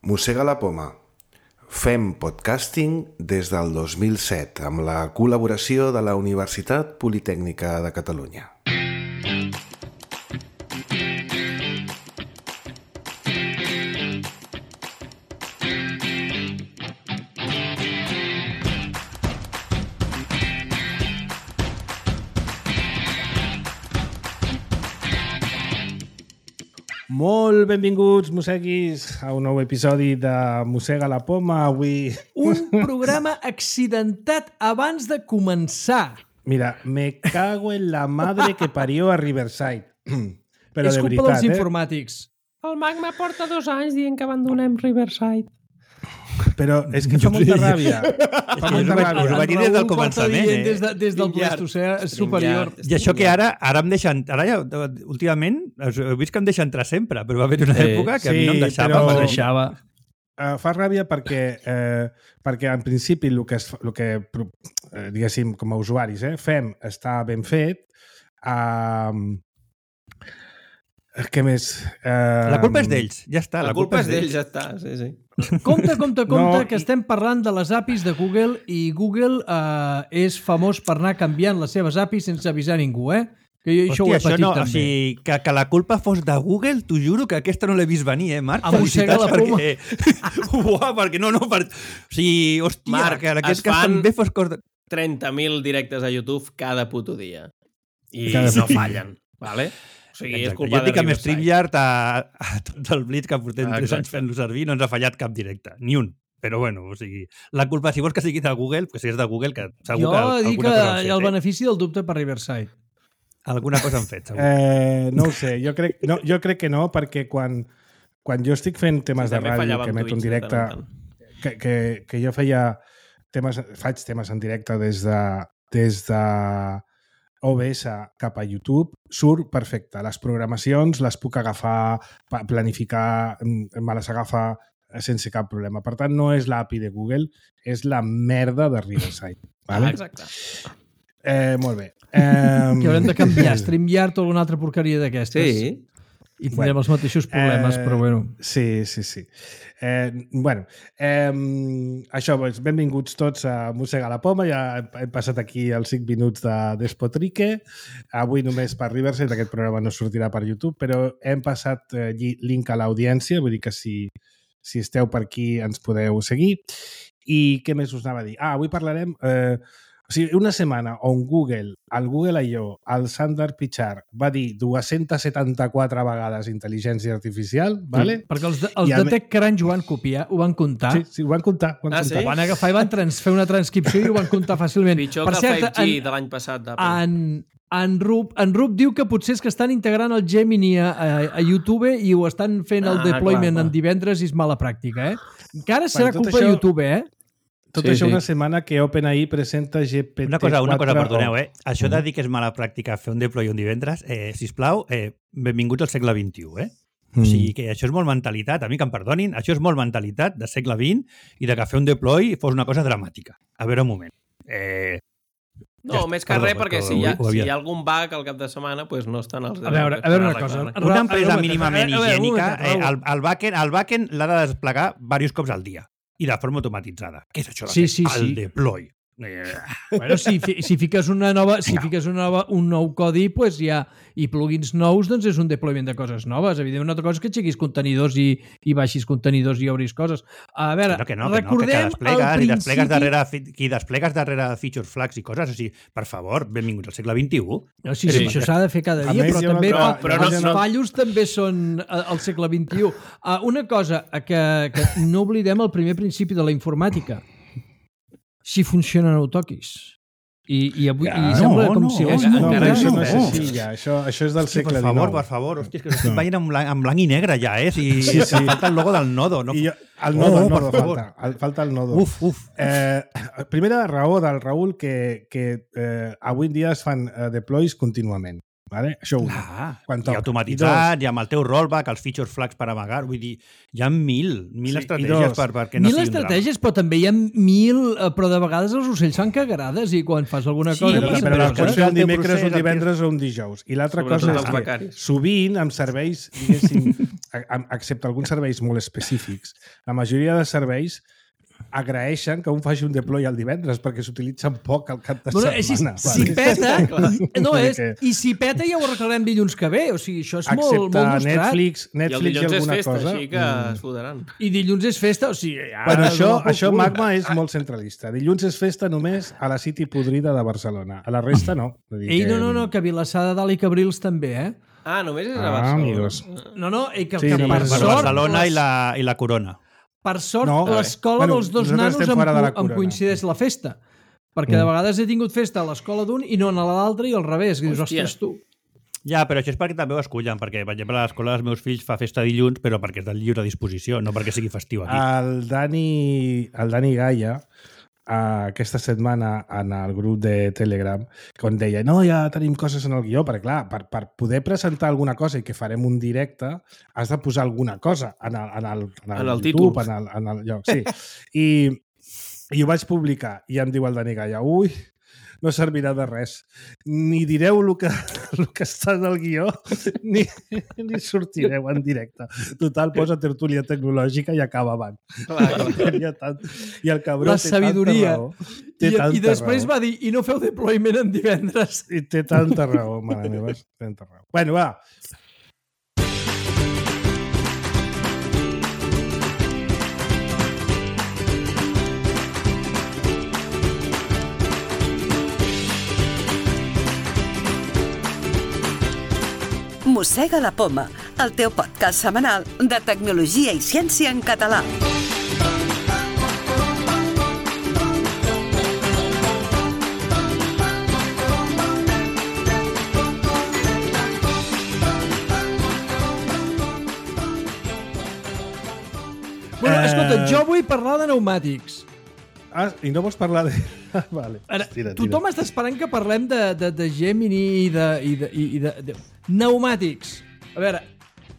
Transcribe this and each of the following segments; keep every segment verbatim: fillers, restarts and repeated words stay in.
Mossega la poma. Fem podcasting des del dos mil set amb la col·laboració de la Universitat Politècnica de Catalunya. Molt benvinguts, mosseguis, a un nou episodi de Mossega la poma. Avui... Un programa accidentat abans de començar. Mira, me cago en la madre que parió a Riverside. Però és de culpa veritat, dels eh? informàtics. El Magma porta dos anys dient que abandonem Riverside. Però és que fa molta ràbia. Fa molta ràbia. Ho vaig dir des del començament, eh? Des, de, des del Pleistocè superior. I això que ara ara em deixen... Ara ja, últimament, heu vist que em deixa entrar sempre, però va haver una època que a mi no em deixava. però- Em deixava. Uh, fa ràbia perquè, eh, perquè en principi el que, es, el que eh, diguéssim, com a usuaris, eh, fem està ben fet. Uh, què més? Uh, La culpa és d'ells, ja està. La, la culpa és d'ells, ja està. Sí, sí. Compte, compte, compte, No, que estem parlant de les A P Is de Google i Google eh, és famós per anar canviant les seves A P Is sense avisar ningú, eh? Que jo això Hòstia, ho he això patit no, també. o sigui, que, que la culpa fos de Google, t'ho juro que aquesta no l'he vist venir, eh, Marc? A mossega la poma. perquè... Uau, perquè no, no, per... O sigui, hòstia, Marc, que aquest es cas fan- també fos cos de... trenta mil directes a YouTube cada puto dia. I Cada no puto fallen, vale? O sigui, és Exacte. culpa Jo dic de amb Riverside. StreamYard a, a tot el Blitz que portem Ah, tres exacte. anys fent-lo servir no ens ha fallat cap directe, ni un. Però bueno, o sigui, la culpa, si vols que sigui de Google, que si és de Google, que segur Jo que dic alguna que cosa han fet, el eh? benefici del dubte per Riverside. Alguna cosa han fet, segur. Eh, no ho sé, jo crec, no, jo crec que no, perquè quan, quan jo estic fent temes Sí, de també ràdio, fallava que amb emeto en Twitch de directe, tant en tant. que, que, que jo feia temes, faig temes en directe des de, des de O B S cap a YouTube, surt perfecte. Les programacions les puc agafar, pa- planificar, mm, me les agafa sense cap problema. Per tant, no és l'A P I de Google, és la merda de Riverside. Ah, Vale? exacte. Eh, molt bé. Eh, Que haurem de canviar StreamYard o alguna altra porqueria d'aquestes. Sí. I tindrem Bueno. els mateixos problemes, Eh, però bueno. Sí, sí, sí. Eh, bueno, eh, això, doncs, benvinguts tots a Mossega la poma. Ja hem- hem passat aquí els cinc minuts de Despotrique. Avui només per Riverside, aquest programa no sortirà per YouTube, però hem passat eh, lli- link a l'audiència, vull dir que si, si esteu per aquí ens podeu seguir. I què més us anava a dir? Ah, avui parlarem... Eh, o sigui, una setmana on Google, el Google I O, el Sundar Pichai va dir dues-centes setanta-quatre vegades intel·ligència artificial, vale? Perquè els de, els I a de me- TechCrunch ho van copiar, ho van comptar. Sí, sí, ho van comptar. Ho van Ah, comptar. sí? Van agafar i van trans, fer una transcripció i ho van comptar fàcilment. Pitjor per que cert, el cinc G en, de l'any passat. d'Apple. en, en, Rup, en Rup diu que potser és que estan integrant el Gemini a, a, a YouTube i ho estan fent el Ah, deployment clar, clar. en divendres i és mala pràctica, eh? Encara serà tot culpa això- de YouTube, eh? Tot Sí, això sí. una setmana que OpenAI presenta G P T Una cosa, una cosa, quatre perdoneu, o. eh? Això de dir que és mala pràctica fer un deploy un divendres, eh, sisplau, eh, benvinguts al segle vint-i-u, eh? Mm. O sigui, que això és molt mentalitat, a mi que em perdonin, això és molt mentalitat de segle vint i de que fer un deploy fos una cosa dramàtica. A veure, un moment. Eh, No, Ja està, més que perdó, res, perdó, perquè si ho- hi, ha, ho si havia- hi ha algun bug al cap de setmana, pues no estan els A veure, a veure una cosa. una empresa Raül, mínimament a veure, un higiènica, momentet, eh, Raül. el, el backend, el backend l'ha de desplegar diversos cops al dia i de forma automatitzada. Què és això de Sí, fer sí, el sí. deploy? Eh, Bueno, si, fi- si fiques una nova, si fiques una nova, un nou codi, pues ja, i plugins nous, doncs és un deployment de coses noves. Evidentment, una altra cosa és que aixequis contenidors i, i baixis contenidors i obris coses. A veure, no, que no, que no, que, que recordem desplegues, al i desplegues principi... darrere, fi- qui desplegues darrere feature flags i coses, o sigui, per favor, benvinguts al segle vint-i-u. No, sí, sí, Sí. això s'ha de fer cada A dia, més, però hi ha una també altra- fa, però no- els no- fallos també són eh, al segle vint-i-u. Uh, una cosa, eh, que, que no oblidem el primer principi de la informàtica. Si funciona, no ho toquis. I, i avui Ja, i no, sembla com no, si... no, és No, molt però encara això greu, no eh? és així, ja. Això, això és del Sí, segle per favor, dinou. per favor. Hòstia, és que estic veient en blanc, en blanc i negre ja, eh? Si, Sí, sí. falta el logo del nodo. No? I jo, el nodo, Oh, el per nodo favor. falta. El, falta el nodo. Uf, uf. Eh, primera raó del Raül que, que eh, avui en dia es fan eh, deploys contínuament. Vale? Això ho dic. Clar, Quan i toca. automatitzat, I i amb el teu rollback, els feature flags per amagar, vull dir, hi ha mil, mil Sí, i estratègies dos. per, perquè no Mil sigui un drama. estratègies, però també hi ha mil... eh, Però de vegades els ocells fan cagarades i quan fas alguna Sí, cosa... Però, Sí, però, però però és que pots no fer és un el teu dimecres, procés, un el que- divendres o un dijous. I l'altra Sobretot cosa és els que becaris. sovint amb serveis, diguéssim, excepte alguns serveis molt específics, la majoria de serveis agraeixen que un faci un deploy el divendres perquè s'utilitzen poc al cap de Bueno, setmana. si, si peta, no és, i si peta ja ho arreglarem dilluns que ve, o sigui, això és molt, molt mostrat. Netflix, I el Netflix i, dilluns és alguna festa, cosa. així que es fodaran. I dilluns és festa, o sigui... Ja, Bueno, això, no això cul. Magma és molt centralista. Dilluns és festa només a la City podrida de Barcelona. A la resta no. Vull dir Ei, que- no, no, no, que Vilassar de Dalt i Cabrils també, eh? Ah, només és a Ah, Barcelona. amigos. No, no, i que, Sí, que no, per per sort... Barcelona les- i la, i la Corona. Per sort, No, l'escola bueno, dels dos nosaltres nanos estem em, fora de la em corona. coincideix la festa. Perquè Mm. de vegades he tingut festa a l'escola d'un i no a l'altre i al revés. I dius, Hòstia. ostres, tu. Ja, però això és perquè també ho escullen, perquè, per exemple, a l'escola dels meus fills fa festa dilluns, però perquè és de lliure disposició, no perquè sigui festiu aquí. El Dani, el Dani Gaia, uh, aquesta setmana en el grup de Telegram, quan deia, no, ja tenim coses en el guió, perquè clar, per, per poder presentar alguna cosa i que farem un directe, has de posar alguna cosa en el, en el, en el, En el YouTube, títol. en el, en el lloc. Sí. I, I ho vaig publicar i em diu el Dani Gaia, ui, no servirà de res. Ni direu el que, el que està en el guió, ni, ni sortireu en directe. Total, posa tertúlia tecnològica i acaba abans. Clar, clar. I, tant, I el cabró La té sabidoria. tanta raó. Té I, tanta I després raó. va dir, i no feu deployment en divendres. I té tanta raó, mare meva. Tanta raó. Bueno, va. Mossega la Poma, el teu podcast setmanal de tecnologia i ciència en català. Bueno, Eh, escolta, jo vull parlar de pneumàtics. Ah, i no vols parlar de... vale. Ara, Tira, tira. tothom està esperant que parlem de, de, de Gemini i de, i de, i de, de... Pneumàtics. A veure,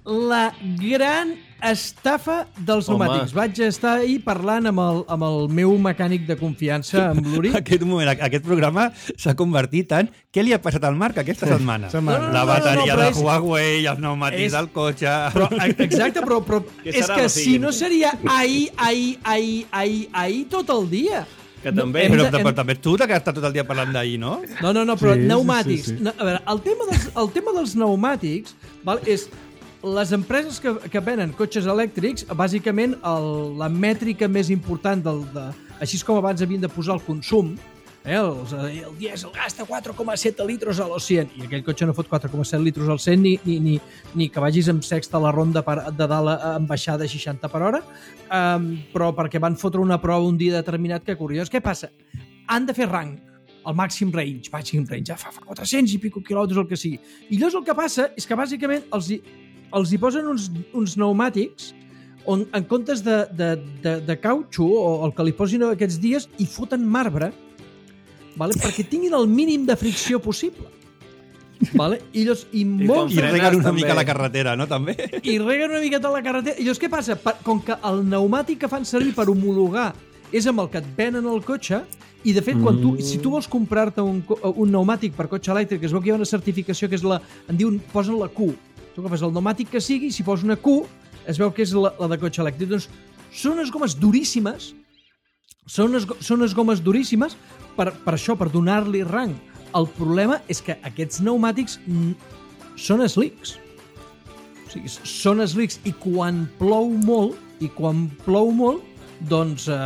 la gran estafa dels Home. pneumàtics. Vaig estar ahir parlant amb el, amb el meu mecànic de confiança, amb l'Uri. Aquest moment, aquest programa s'ha convertit en què li ha passat al Marc aquesta setmana? Setmana. No, no, La no, bateria no, però de és- Huawei, els pneumàtics és- del cotxe... Però, exacte, però, però Què és serà que la si siguiente? no seria ahir, ahir, ahir, ahir, ahir tot el dia. Que també... hem Però, de- però hem- també tu que has estat tot el dia parlant d'ahir, no? No, no, no, però Sí, sí, pneumàtics. sí, sí. No, a veure, el tema dels, el tema dels pneumàtics val, és les empreses que, que venen cotxes elèctrics, bàsicament el, la mètrica més important del, de, així com abans havien de posar el consum, eh, els, el dièsel gasta quatre coma set litres a l'o cent i aquell cotxe no fot quatre coma set litres al cent ni, ni, ni, ni que vagis amb sexta a la ronda per, de dalt a- amb baixada a seixanta per hora, um, però perquè van fotre una prova un dia determinat que curiós. Què passa? Han de fer rang el màxim range, màxim range, ja fa, fa quatre-cents i pico quilòmetres, el que sigui. I llavors el que passa és que bàsicament els hi, els hi posen uns, uns pneumàtics on en comptes de, de, de, de cautxo o el que li posin aquests dies hi foten marbre, vale? Perquè tinguin el mínim de fricció possible. Vale? I, llavors, i, I molt, I Frenes reguen una també. mica la carretera, no? També. i reguen una miqueta la carretera. I llavors què passa? Per, com que el pneumàtic que fan servir per homologar és amb el que et venen el cotxe, i de fet, quan tu, si tu vols comprar-te un, co- un pneumàtic per cotxe elèctric, es veu que hi ha una certificació que és la... En diuen, posen la Q. Tu agafes el pneumàtic que sigui, si posa una Q, es veu que és la, la de cotxe elèctric. Doncs són unes gomes duríssimes, són unes, go- són unes gomes duríssimes per, per això, per donar-li rang. El problema és que aquests pneumàtics mm, són slicks. O sigui, són slicks i quan plou molt, i quan plou molt, doncs eh,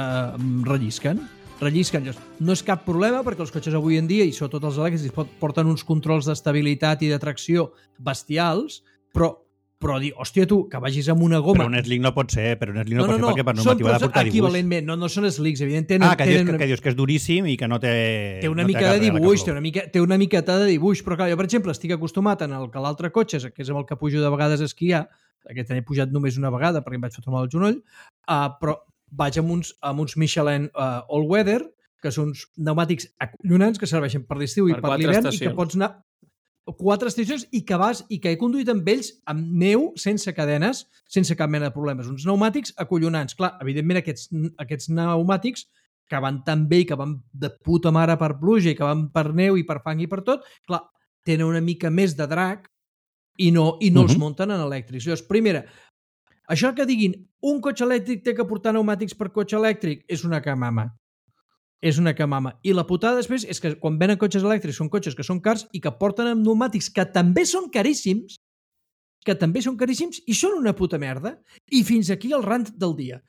rellisquen. Rellisquen. Llavors, no és cap problema perquè els cotxes avui en dia, i sobretot els elèctrics, pot- porten uns controls d'estabilitat i de tracció bestials, però, però dir, hòstia, tu, que vagis amb una goma... Però un slick no pot ser, però un slick no, pot ser perquè per són normativa ha de tots portar dibuix. equivalentment, no, no són slicks, evident, tenen, Ah, que dius, tenen que, que dius que és duríssim i que no té... té una no mica cap de regla que dibuix, plou. té una, mica, té una miqueta de dibuix, però clar, jo, per exemple, estic acostumat en el que l'altre cotxe, que és amb el que pujo de vegades a esquiar, aquest any he pujat només una vegada perquè em vaig fotre mal al genoll, uh, però vaig amb uns, amb uns Michelin uh, All Weather, que són uns pneumàtics acollonants que serveixen per l'estiu i Per per quatre l'hivern i que estacions. pots anar quatre estacions i que vas i que he conduït amb ells amb neu, sense cadenes, sense cap mena de problemes. Uns pneumàtics acollonants. Clar, evidentment aquests, aquests pneumàtics que van tan bé i que van de puta mare per pluja i que van per neu i per fang i per tot, clar, tenen una mica més de drac i no, i no uh -huh. els munten en elèctrics. Llavors, primera, Això que diguin un cotxe elèctric té que portar pneumàtics per cotxe elèctric és una camama. És una camama. I la putada després és que quan venen cotxes elèctrics són cotxes que són cars i que porten amb pneumàtics que també són caríssims, que també són caríssims i són una puta merda. I fins aquí el rant del dia.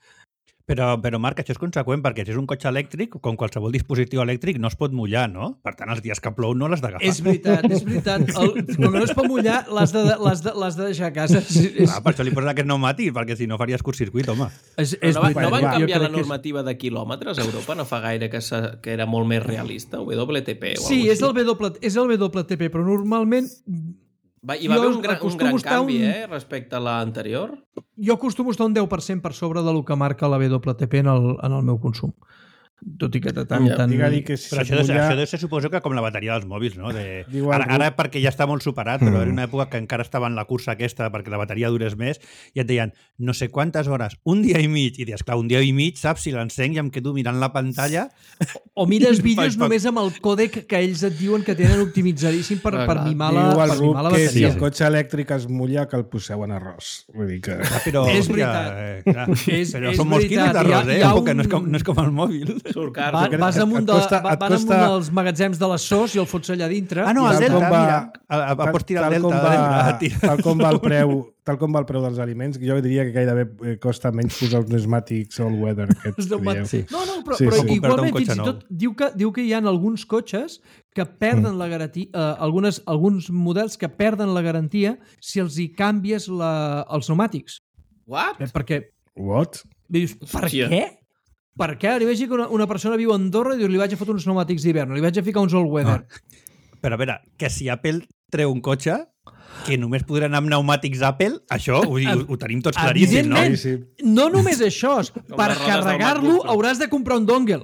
Però, però Marc, això és conseqüent perquè si és un cotxe elèctric, com qualsevol dispositiu elèctric, no es pot mullar, no? Per tant, els dies que plou no l'has d'agafar. És veritat, és veritat. El, com no es pot mullar, l'has de, l'has de, l'has de deixar a casa. És, és... Ah, per això li poses aquest pneumàtic, perquè si no faries curtcircuit, home. És, és no, va, veritat. no van Jo canviar crec la que és- normativa de quilòmetres a Europa no fa gaire que, sa, que era molt més realista, W T P o Sí, alguna és el, W, és el W T P, però normalment Va, hi va jo haver un gran, un acostumo gran estar canvi, un- eh, respecte a l'anterior. jo acostumo a estar un deu per cent per sobre del que marca la W T P en el, en el meu consum. Tot i que de tant, Ja, tant... Digue-li que si Però això, se't deu, mulla... això deu ser, suposo que com la bateria dels mòbils, no? De... Diu Ara, algú- ara perquè ja està molt superat, però era una època que encara estava en la cursa aquesta perquè la bateria durés més i et deien no sé quantes hores, un dia i mig, i dius, clar, un dia i mig, saps, si l'encenc i em quedo mirant la pantalla. O mires vídeos Pa- pa- només amb el còdec que ells et diuen que tenen optimitzadíssim per, Ah, per, clar. mimar la, Diu per algú mimar la que si bateria. el cotxe elèctric es mulla que el poseu en arròs. Vull dir que... Ah, però, És hòstia, veritat. eh, clar, És- però és són molts quilos veritat. d'arròs, Hi ha- eh? hi ha Tampoc que no, és un- com, no és com el mòbil. Surt car. Va, crec vas que amunt, et de, costa- va, et van costa- amunt dels magatzems de les S O S i el fots allà dintre. Ah, no, i el tal Delta, com va- mira. A, a, a pots tirar el tal com Delta. va, a tirar. tal com va el preu tal com va el preu dels aliments, jo diria que gairebé eh, costa menys posar els pneumàtics all weather aquests Els que pneumàtics. dieu. No, no, però, Sí, però sí. igualment, Comprar-te un fins i cotxe tot, diu que, diu que hi ha alguns cotxes que perden la garantia, eh, algunes, alguns models que perden la garantia si els hi canvies la, els pneumàtics. What? Eh, perquè What? dius, per Hòstia. què? Per què? Ara imagina que una, una persona viu a Andorra i dius, li vaig a fotre uns pneumàtics d'hivern, li vaig a ficar uns all weather. Però a veure, que si Apple treu un cotxe que només podran anar amb pneumàtics Apple, això ho, ho, ho tenim tots claríssim, no? Evidentment. Sí, sí. No només això, per les rodes del carregar-lo MacBook Pro. hauràs de comprar un dongle.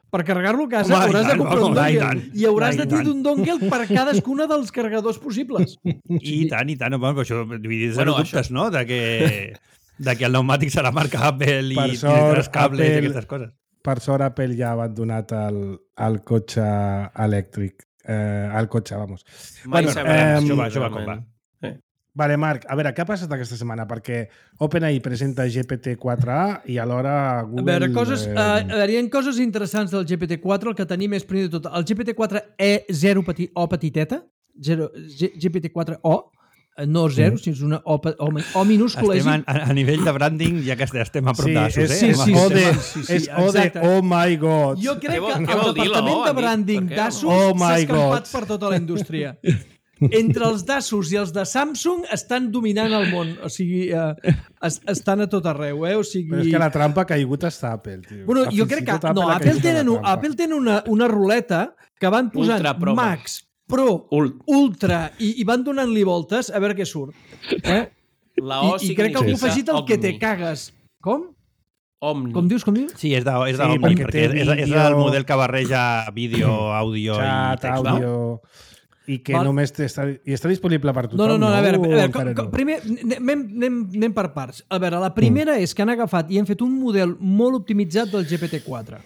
Per carregar-lo a casa Home, i hauràs de tant, comprar un home, i dongle. tant. I hauràs I de tenir tant. un dongle per cadascuna dels carregadors possibles. I tant, i tant. Home, però això, vull dir, zero Bueno, dubtes, no? De que, de que el pneumàtic serà marca Apple i Per tindràs sort, cables i Apple- aquestes coses. Per sort, Apple ja ha abandonat el, el cotxe elèctric. Eh, el cotxe, vamos. Mai Bueno, sabrem. eh, això va, això va com va. realment. Sí. Vale, Marc, a veure, què ha passat aquesta setmana? Perquè OpenAI presenta G P T quatre A i alhora Google... A veure, coses, eh, eh, a veure, hi ha coses interessants del G P T quatre. El que tenim és, primer de tot, el G P T quatre E zero peti, O petiteta, zero, G, GPT quatre O, eh, no zero, sinó és una O, pe- o, mi- o minúscula. Estem és- a, a nivell de branding, ja que estem a prop Sí, d'Asus, és, eh? sí, és, sí, o sí, de, sí, sí, és o de exacte. oh my god. Jo crec Què vol- que què el vol dir la departament O, de Anit? branding Per què? d'Asus Oh s'ha my escampat God. per tota la indústria. Entre els d'Asus i els de Samsung estan dominant el món. O sigui, eh, es, estan a tot arreu, eh? O sigui... Però és que la trampa ha caigut està Apple, tio. Bueno, Ah, jo fins crec i que... tot No, ha Apple caigut en la tenen, un- trampa. Apple tenen una, una ruleta que van posant Ultra Pro Max, Pro, Ult. Ultra i, i van donant-li voltes a veure què surt. Eh? La I, O I crec que algú ha significa afegit el que te Omni. cagues. Com? Omni. Com dius, com dius? Sí, és de, és de Sí, Omni, perquè perquè té és, és, és vídeo- el model que barreja vídeo, àudio i Xat, text, no? àudio... I que Val. només té, està, i està disponible per No, tothom, no, no, a veure, a O veure encara com, com, no? primer anem, anem, anem per parts. A veure, la primera mm. és que han agafat i han fet un model molt optimitzat del G P T quatre,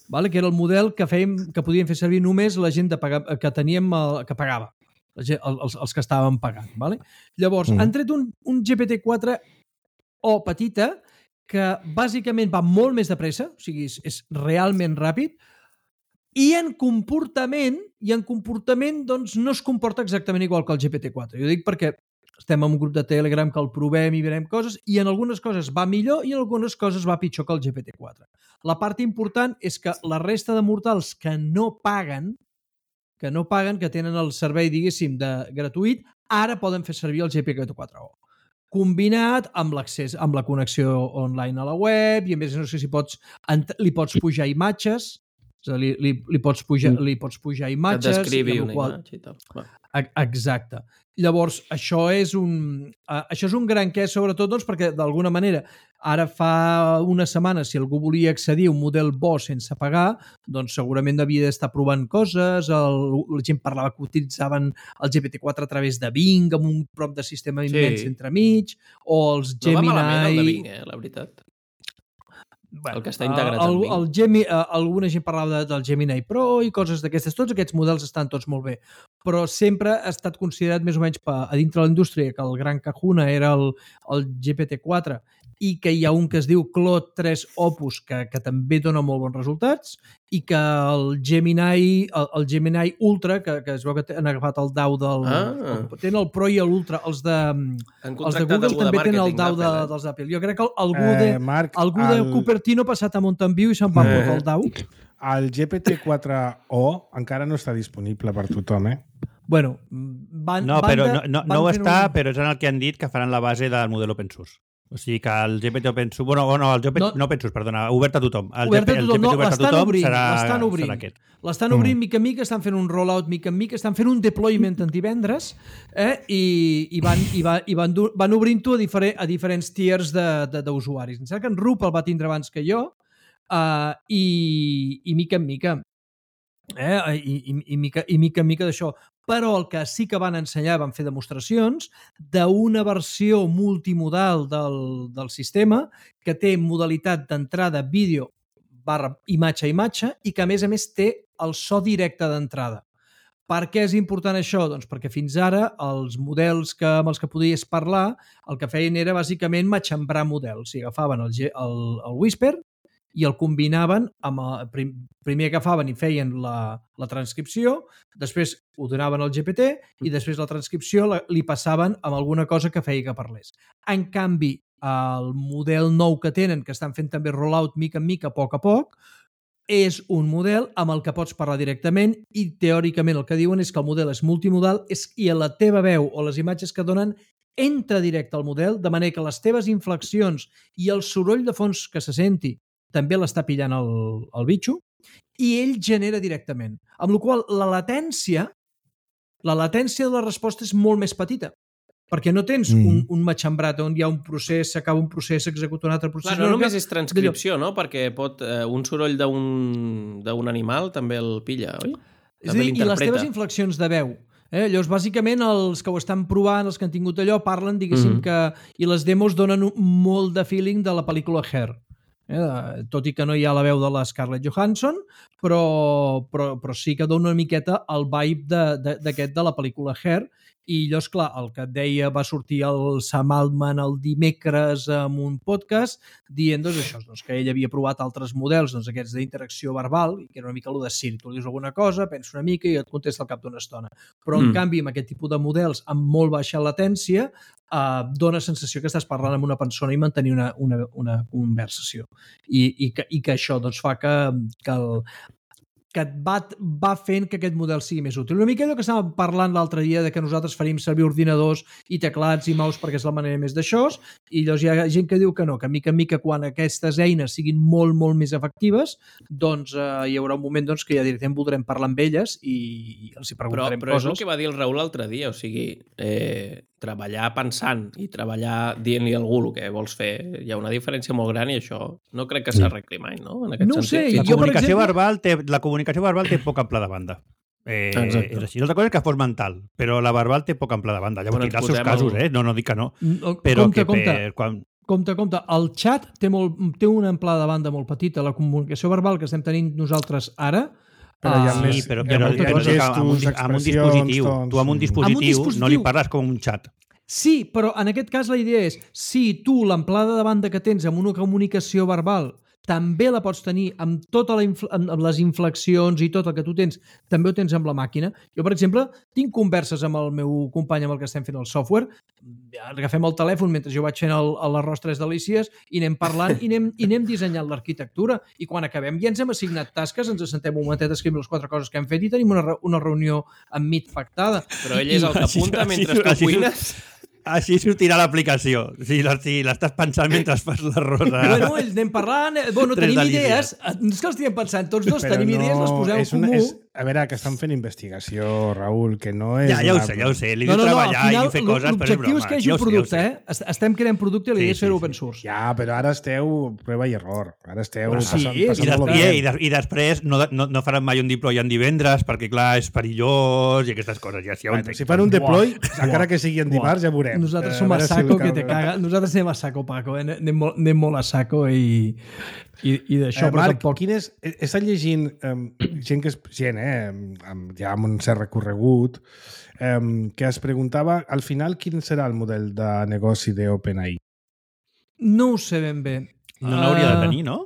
vale? Que era el model que fèiem, que podien fer servir només la gent de pagar, que teníem el, que pagava, la gent, els, els que estàvem pagant. Vale? Llavors, Mm. han tret un, un G P T quatre O petita que bàsicament va molt més de pressa, o sigui, és, és realment ràpid, i en comportament, i en comportament doncs, no es comporta exactament igual que el G P T quatre. Jo dic perquè estem en un grup de Telegram que el provem i veurem coses, i en algunes coses va millor i en algunes coses va pitjor que el G P T quatre. La part important és que la resta de mortals que no paguen, que no paguen, que tenen el servei, diguéssim, de gratuït, ara poden fer servir el G P T quatre O. Combinat amb l'accés, amb la connexió online a la web, i a més no sé si pots, li pots pujar imatges, és a dir, li, li, li, pots pujar, li pots pujar Que et imatges... descrivi i amb una la qual, imatge i tal. Va. E- Exacte. Llavors, això és un, uh, això és un gran què, sobretot doncs, perquè d'alguna manera ara fa una setmana, si algú volia accedir a un model bo sense pagar, doncs segurament havia d'estar provant coses, el, la gent parlava que utilitzaven el G P T quatre a través de Bing, amb un prop de sistema Sí. immens entremig, o els No va Gemini... malament el de Bing, eh, la veritat. Bueno, El que està integrat el, en Bing. el Gemi, uh, alguna gent parlava de, del Gemini Pro i coses d'aquestes. Tots aquests models estan tots molt bé. però sempre ha estat considerat més o menys a dintre de la indústria que el gran Kahuna era el, el G P T quatre i que hi ha un que es diu Claude tres Opus que, que també dona molt bons resultats i que el Gemini el, el Gemini Ultra, que, que es veu que han agafat el D A U del... Ah. El, tenen el Pro i l'Ultra, els de, els de Google també tenen el D A U de, dels d'Apple. Jo crec que algú de, eh, Marc, algú de el... Cupertino ha passat a Mountain View i se'n va eh. portar el D A U. El G P T quatre O encara no està disponible per tothom, eh? Bueno, van, no, van però de, no, no, no ho està, un... però és en el que han dit que faran la base del model open source. O sigui que el G P T open source... Bueno, no, el G P T, no, no open source, perdona, obert a tothom. El obert a tothom, el G P T no, obert a tothom obrint, serà, l'estan obrint. serà aquest. L'estan obrint mm. mica en mica, estan fent un rollout mica en mica, estan fent un deployment en divendres eh, i, i, van, i, va, i van, van obrint-ho a, diferent, a diferents tiers d'usuaris. Em sembla que en Rup el va tindre abans que jo uh, i, i mica en mica. Eh? I, i, i, mica, i mica en mica d'això. Però el que sí que van ensenyar, van fer demostracions d'una versió multimodal del, del sistema que té modalitat d'entrada vídeo barra imatge a imatge i que a més a més té el so directe d'entrada. Per què és important això? Doncs perquè fins ara els models que, amb els que podies parlar el que feien era bàsicament matxembrar models. I agafaven el, el, el Whisper i el combinaven amb el, prim, primer agafaven i feien la, la transcripció, després ho donaven al G P T i després la transcripció la, li passaven amb alguna cosa que feia que parlés. En canvi, el model nou que tenen, que estan fent també rollout mica en mica, a poc a poc, és un model amb el que pots parlar directament i teòricament el que diuen és que el model és multimodal és, i a la teva veu o les imatges que donen entra directe al model, de manera que les teves inflexions i el soroll de fons que se senti també l'està pillant el, el bitxo i ell genera directament. Amb la qual la latència, la latència de la resposta és molt més petita, perquè no tens mm. un, un matxembrat on hi ha un procés, s'acaba un procés, s'executa un altre procés. Clar, no només és transcripció, no? Perquè pot, eh, un soroll d'un animal també el pilla, oi? És a dir, i les teves inflexions de veu. Eh? Llavors, bàsicament, els que ho estan provant, els que han tingut allò, parlen, diguéssim, mm. que... I les demos donen molt de feeling de la pel·lícula Hair. Eh, tot i que no hi ha la veu de la Scarlett Johansson, però, però, però sí que dona una miqueta el vibe d'aquest de, de, de la pel·lícula Hair. I llavors, clar, el que et deia va sortir el Sam Altman el dimecres amb un podcast dient doncs, això, doncs, que ell havia provat altres models, doncs, aquests d'interacció verbal, que era una mica el de Siri. Tu li dius alguna cosa, pensa una mica i et contesta al cap d'una estona. Però, en mm. canvi, amb aquest tipus de models amb molt baixa latència, eh, dona sensació que estàs parlant amb una persona i mantenir una, una, una conversació. I, i, que, i que això doncs, fa que, que el que va, va fent que aquest model sigui més útil. Una mica allò que estàvem parlant l'altre dia de que nosaltres faríem servir ordinadors i teclats i mouse perquè és la manera més d'això, i llavors hi ha gent que diu que no, que mica en mica quan aquestes eines siguin molt, molt més efectives, doncs eh, hi haurà un moment doncs, que ja directament voldrem parlar amb elles i, i els hi preguntarem però, però coses. Però és el que va dir el Raül l'altre dia, o sigui, eh, treballar pensant i treballar dient-li a algú el que vols fer, hi ha una diferència molt gran i això no crec que s'arregli mai, no? En aquest no ho sé. La jo, comunicació exemple... verbal té, la comunicació verbal té poc ample de banda. Eh, és així. L'altra cosa és que fos mental, però la verbal té poc ample de banda. Llavors, bueno, tindrà els seus casos, el... eh? No, no dic que no. Però compte, que compte. Per, quan... Compte, compte. El xat té, molt, té una amplada de banda molt petita. La comunicació verbal que estem tenint nosaltres ara... Però hi ha sí, més, però, però, hi ha però gestos, amb, un, amb un dispositiu. Tons, tu amb un dispositiu, amb un dispositiu no li parles com un xat. Sí, però en aquest cas la idea és, si tu l'amplada de banda que tens amb una comunicació verbal també la pots tenir amb totes amb les inflexions i tot el que tu tens, també ho tens amb la màquina. Jo, per exemple, tinc converses amb el meu company amb el que estem fent el software, agafem el telèfon mentre jo vaig fent el, l'arròs tres delícies i anem parlant i anem, i anem dissenyant l'arquitectura. I quan acabem ja ens hem assignat tasques, ens assentem un momentet a escriure les quatre coses que hem fet i tenim una, una reunió amb Meet pactada. Però ell és el que apunta mentre tu cuines... Així sortirà l'aplicació, si l'estàs pensant mentre fas l'arròs. Bueno, ells anem parlant, bueno, tenim idees, no és que els estiguem pensant, tots dos però tenim no, idees, les posem en comú. És, a veure, que estan fent investigació, Raül, que no és... Ja, ja ho una... sé, ja ho sé, li no, diu no, no, treballar final, i fer coses, però és broma. L'objectiu és que hi hagi un producte, eh? Estem creant producte i l'idea és fer-ho open source. Ja, però ara esteu prova i error. Ara esteu sí, passant, i, passant i, i, i després no, no, no faran mai un deploy en divendres perquè, clar, és perillós i aquestes coses. Ja, ja bueno, si fan un deploy, Buah. encara que sigui en dimarts, ja veurem. Nosaltres som a saco que te caga. Nosaltres anem a saco, Paco, eh? anem, molt, anem molt a saco i, i, i d'això. Eh, Marc, tampoc... quin és... He estat llegint um, gent, que és, gent eh, amb, ja amb un cert recorregut, eh, que es preguntava, al final, quin serà el model de negoci d'OpenAI? No ho sé ben bé. No n'hauria de Uh, tenir, no?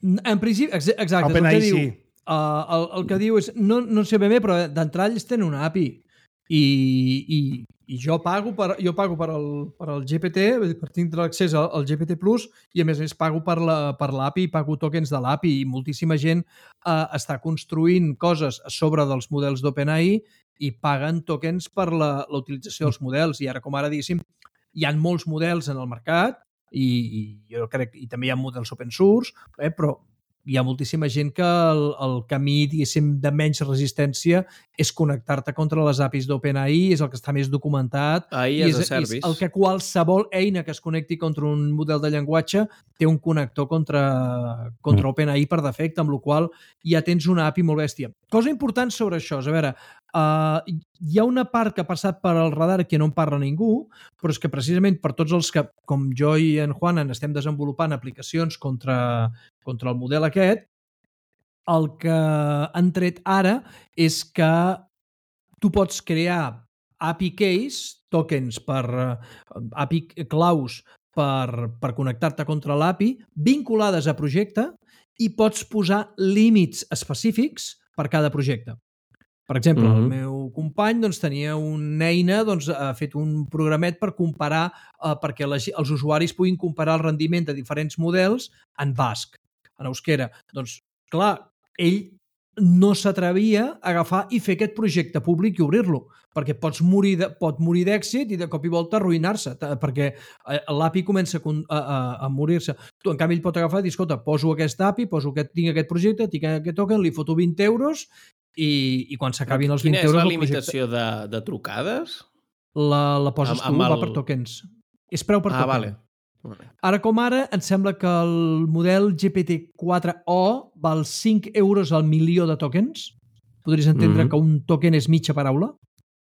En principi, ex- exacte, és el OpenAI que diu. sí. Uh, el, el que diu és, no, no sé ben bé, però d'entrada ells tenen una A P I i, i, i jo pago per, jo pago per el, per el G P T, per tindre l'accés al, al G P T Plus, i a més a més pago per la, per l'A P I, pago tokens de l'A P I, i moltíssima gent uh, està construint coses a sobre dels models d'OpenAI i paguen tokens per la, la utilització dels models, i ara com ara, diguéssim, hi ha molts models en el mercat, i, i jo crec i també hi ha models open source, eh, però hi ha moltíssima gent que el, el camí, diguéssim, de menys resistència és connectar-te contra les A P Is d'OpenAI, és el que està més documentat, AI i as és, a service. és el que qualsevol eina que es connecti contra un model de llenguatge té un connector contra, contra OpenAI per defecte, amb la qual ja tens una A P I molt bèstia. Cosa important sobre això, és a veure, uh, hi ha una part que ha passat per al radar que no en parla ningú, però és que precisament per tots els que, com jo i en Juan, estem desenvolupant aplicacions contra, contra el model aquest, el que han tret ara és que tu pots crear A P I keys, tokens per uh, A P I claus per, per connectar-te contra l'A P I, vinculades a projecte, i pots posar límits específics per cada projecte. Per exemple, mm-hmm. el meu company doncs, tenia una eina, doncs, ha fet un programet per comparar, eh, perquè les, els usuaris puguin comparar el rendiment de diferents models en basc, en euskera. Doncs, clar, ell no s'atrevia a agafar i fer aquest projecte públic i obrir-lo, perquè pots morir de, pot morir d'èxit i de cop i volta arruïnar-se, perquè l'A P I comença a, a, a morir-se. Tu, en canvi, ell pot agafar i dir, escolta, poso aquest A P I, poso aquest, tinc aquest projecte, tinc aquest token, li foto vint euros i, i quan s'acabin els vint Quina euros... Quina és la projecte, limitació de, de trucades? La, la poses Amb- tu, amb va el- per tokens. És preu per Ah, token. vale. Vale. Ara com ara, em sembla que el model G P T quatre o val cinc euros al milió de tokens. Podries entendre Mhm. que un token és mitja paraula,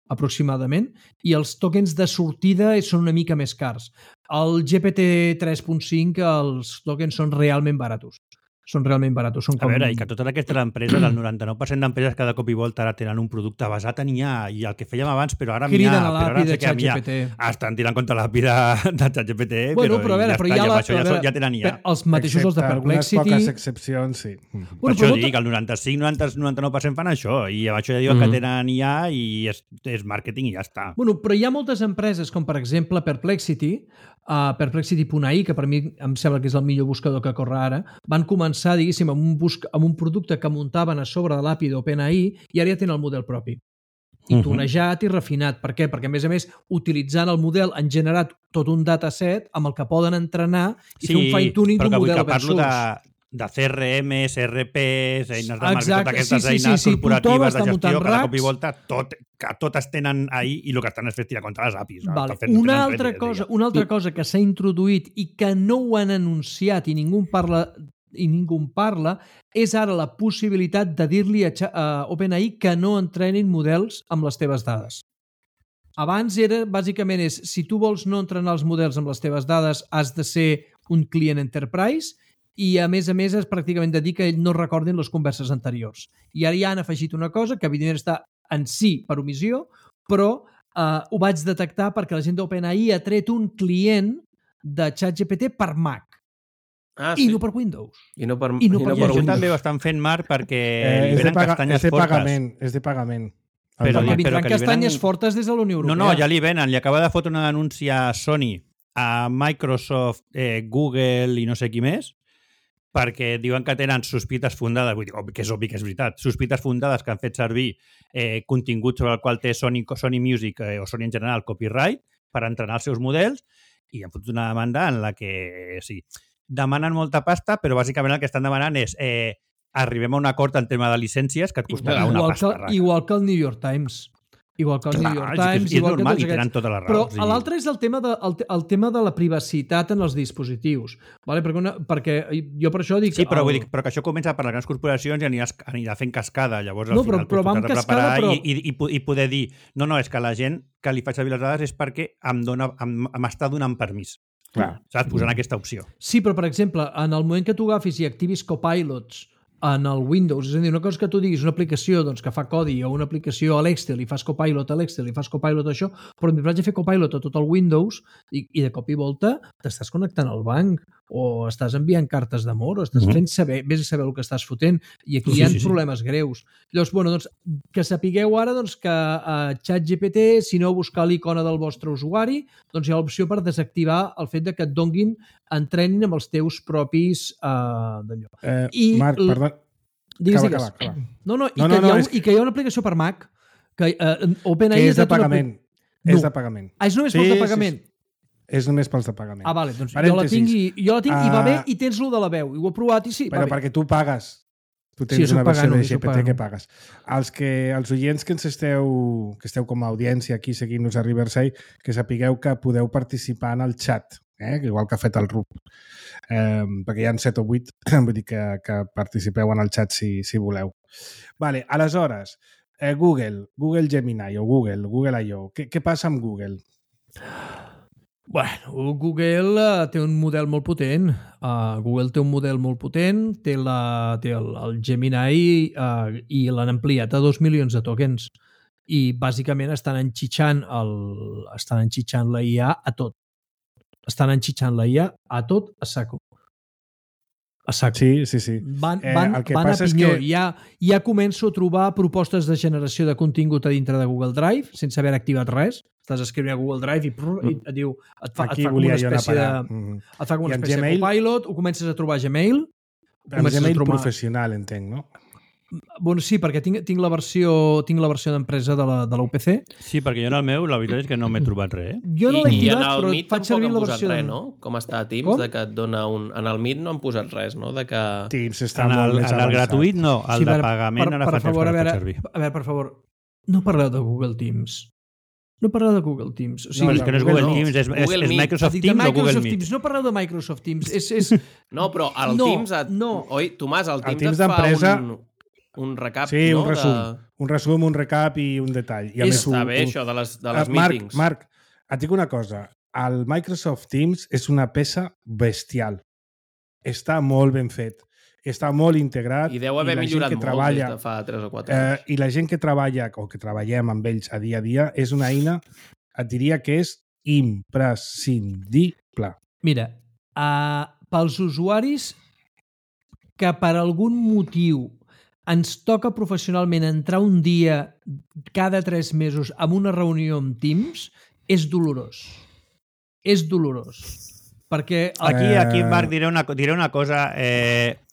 aproximadament, i els tokens de sortida són una mica més cars. El G P T tres punt cinc, els tokens són realment baratos. Són realment baratos. Són A com... veure, i que totes aquestes empreses, el noranta-nou per cent d'empreses cada cop i volta ara tenen un producte basat en I A, i el que fèiem abans, però ara amb I A, criden a però l'A ara P I no de sé què amb I A. ChatGPT. Estan tirant contra l'A P I de, de ChatGPT, Bueno, però, però a veure, ja però està, hi ha ja, la- per això ja, però a són- ja tenen I A. Per- Els mateixos els de Excepte algunes Perplexity... poques excepcions, sí. Mhm. Per Bueno, això però dic, el noranta-cinc noranta-nou per cent fan això, i amb això ja diuen Mhm. que tenen I A i és, és màrqueting i ja està. Bueno, però hi ha moltes empreses, com per exemple Perplexity, uh, Perplexity punt A I, que per mi em sembla que és el millor buscador que corre ara, van començar, diguéssim, amb un, busc amb un producte que muntaven a sobre de l'A P I d'OpenAI i ara ja tenen el model propi. I Mhm. tunejat i refinat. Per què? Perquè, a més a més, utilitzant el model han generat tot un dataset amb el que poden entrenar i fer un fine-tuning però d'un que vull model que open parlo source. de, de C R Ms, R Ps, eines de marketing, Exacte, totes aquestes sí, sí, eines sí, sí, tothom corporatives està de muntant gestió, cada cop i racks. volta, tot, que totes tenen ahí i el que estan és fer tirar contra les A P Is. no? Vale. Estan fent- Una tenen altra, res, cosa, diguem. una altra cosa que s'ha introduït i que no ho han anunciat i ningú en parla i ningú en parla és ara la possibilitat de dir-li a, Cha- a OpenAI que no entrenin models amb les teves dades. Abans era, bàsicament, és si tu vols no entrenar els models amb les teves dades, has de ser un client enterprise i, a més a més, és pràcticament de dir que no recordin les converses anteriors. I ara ja han afegit una cosa que, evidentment, està en si per omissió, però eh, ho vaig detectar perquè la gent d'OpenAI ha tret un client de ChatGPT per Mac Ah, i sí. no per Windows. I no per, i no i per no I per això Windows. també ho estan fent, Marc, perquè Eh, li és, de venen paga, castanyes és de fortes. pagament, és de pagament. Però Perquè dic, però vindran que li castanyes venen- fortes des de la Unió No, Europea. no, ja li venen. Li acaba de fotre una denúncia a Sony, a Microsoft, eh, Google i no sé qui més, perquè diuen que tenen sospites fundades, vull dir, obvi- que és obvi que és veritat, sospites fundades que han fet servir eh, contingut sobre el qual té Sony, Sony Music eh, o Sony en general copyright per entrenar els seus models, i han fotut una demanda en la que sí, demanen molta pasta, però bàsicament el que estan demanant és eh, arribem a un acord en tema de llicències que et costarà una igual, pasta. que, igual que el New York Times. Igual que el New York és, que Times, és, és igual normal, que i tots tenen aquests. totes les Però raons. a l'altre és el tema, de, el, el tema de la privacitat en els dispositius. Vale? Perquè, una, perquè jo per això dic... Sí, però, el... vull dir, però que això comença per les grans corporacions i anirà, anirà fent cascada. Llavors, al No, però- final, però tu va t'has amb de cascada, preparar però- i, i, i, po- i poder dir no, no, és que la gent que li faig servir les dades és perquè em, dona, em, m'està donant permís. Clar. Saps? Posant aquesta opció. Sí, però per exemple, en el moment que tu agafis i activis copilots en el Windows. És a dir, una cosa que tu diguis, una aplicació doncs, que fa codi o una aplicació a l'Excel i fas copilot a l'Excel i fas copilot a això, però em vaig a fer copilot a tot el Windows i, i de cop i volta t'estàs connectant al banc o estàs enviant cartes d'amor o estàs mm-hmm. fent saber, vés a saber el que estàs fotent i aquí sí, hi ha sí, problemes sí. greus. Llavors, bueno, doncs, que sapigueu ara doncs, que a ChatGPT, si no buscar l'icona del vostre usuari, doncs hi ha l'opció per desactivar el fet de que et donguin, entrenin amb els teus propis uh, d'allò. Eh, I Marc, l... perdó. Digues, acaba, digues. acaba, acaba. No, no, i, no, que no, no, ha, és... i que hi ha una aplicació per Mac que uh, OpenAI que és de pagament. Una... És no. de pagament. Ah, és només sí, pels de pagament? Sí, sí. És només pels de pagament. Ah, vale, doncs jo la tinc, i, jo la tinc uh, i va bé i tens lo de la veu. I ho he provat i sí, però va bé. perquè tu pagues. Tu tens sí, una versió pagant, de G P T que pagues. Els, que, els oients que ens esteu, que esteu com a audiència aquí seguint-nos a Riverside, que sapigueu que podeu participar en el chat, eh? igual que ha fet el R U P. Eh, perquè hi ha set o vuit, vull dir que, que participeu en el chat si, si voleu. Vale, aleshores, eh, Google, Google Gemini o Google, Google I O, què, què passa amb Google? Bueno, Google uh, té un model molt potent. Uh, Google té un model molt potent, té, la, té el, el Gemini uh, i l'han ampliat a dos milions de tokens. I bàsicament estan enxitxant, el, estan enxitxant la I A a tot. Estan enxitxant la I A a tot a saco. A saco. Sí, sí, sí. Van, eh, van, el que van a passa pinyó. És que... Ja, ja començo a trobar propostes de generació de contingut a dintre de Google Drive sense haver activat res. Estàs escrivint a Google Drive i, prr, i et diu, et fa, et fa com una espècie de, mm. et fa com una espècie Gmail, de copilot, ho comences a trobar a Gmail. Amb Gmail trobar... professional, entenc, no? Bueno, sí, perquè tinc, tinc la versió tinc la versió d'empresa de la, de l'U P C. Sí, perquè jo en el meu, la veritat és que no m'he trobat res. Eh? Jo no l'he activat, però Meet faig servir la versió... Res, no? Com està a Teams, com? De que et dona un... En el Meet no han posat res, no? De que... Teams està en el, molt més avançat. En el gratuït no, el sí, de pagament per, ara per fa favor, temps que veure, no servir. A veure, per favor, no parleu de Google Teams. No parleu de Google Teams. O sigui, no, és que no és Google, Google no. Teams, és, Google és, és Microsoft Teams Microsoft o Google Meet? Teams. No parleu de Microsoft Teams. És, és... No, però el no, Teams... Et... No. Oi, Tomàs, el Teams, el Teams et fa un, un recap, sí, no? un resum. De... Un resum, un recap i un detall. I a és, més, està un, bé, un... això, de les, de les uh, Marc, meetings. Marc, et dic una cosa. El Microsoft Teams és una peça bestial. Està molt ben fet. Està molt integrat. I deu haver i millorat molt treballa, des de fa tres o quatre anys. Eh, I la gent que treballa, o que treballem amb ells a dia a dia, és una eina, et diria que és imprescindible. Mira, uh, pels usuaris que per algun motiu ens toca professionalment entrar un dia cada tres mesos amb una reunió amb Teams, és dolorós. És dolorós. Perquè... Aquí, aquí Marc, diré una, diré una cosa. Eh,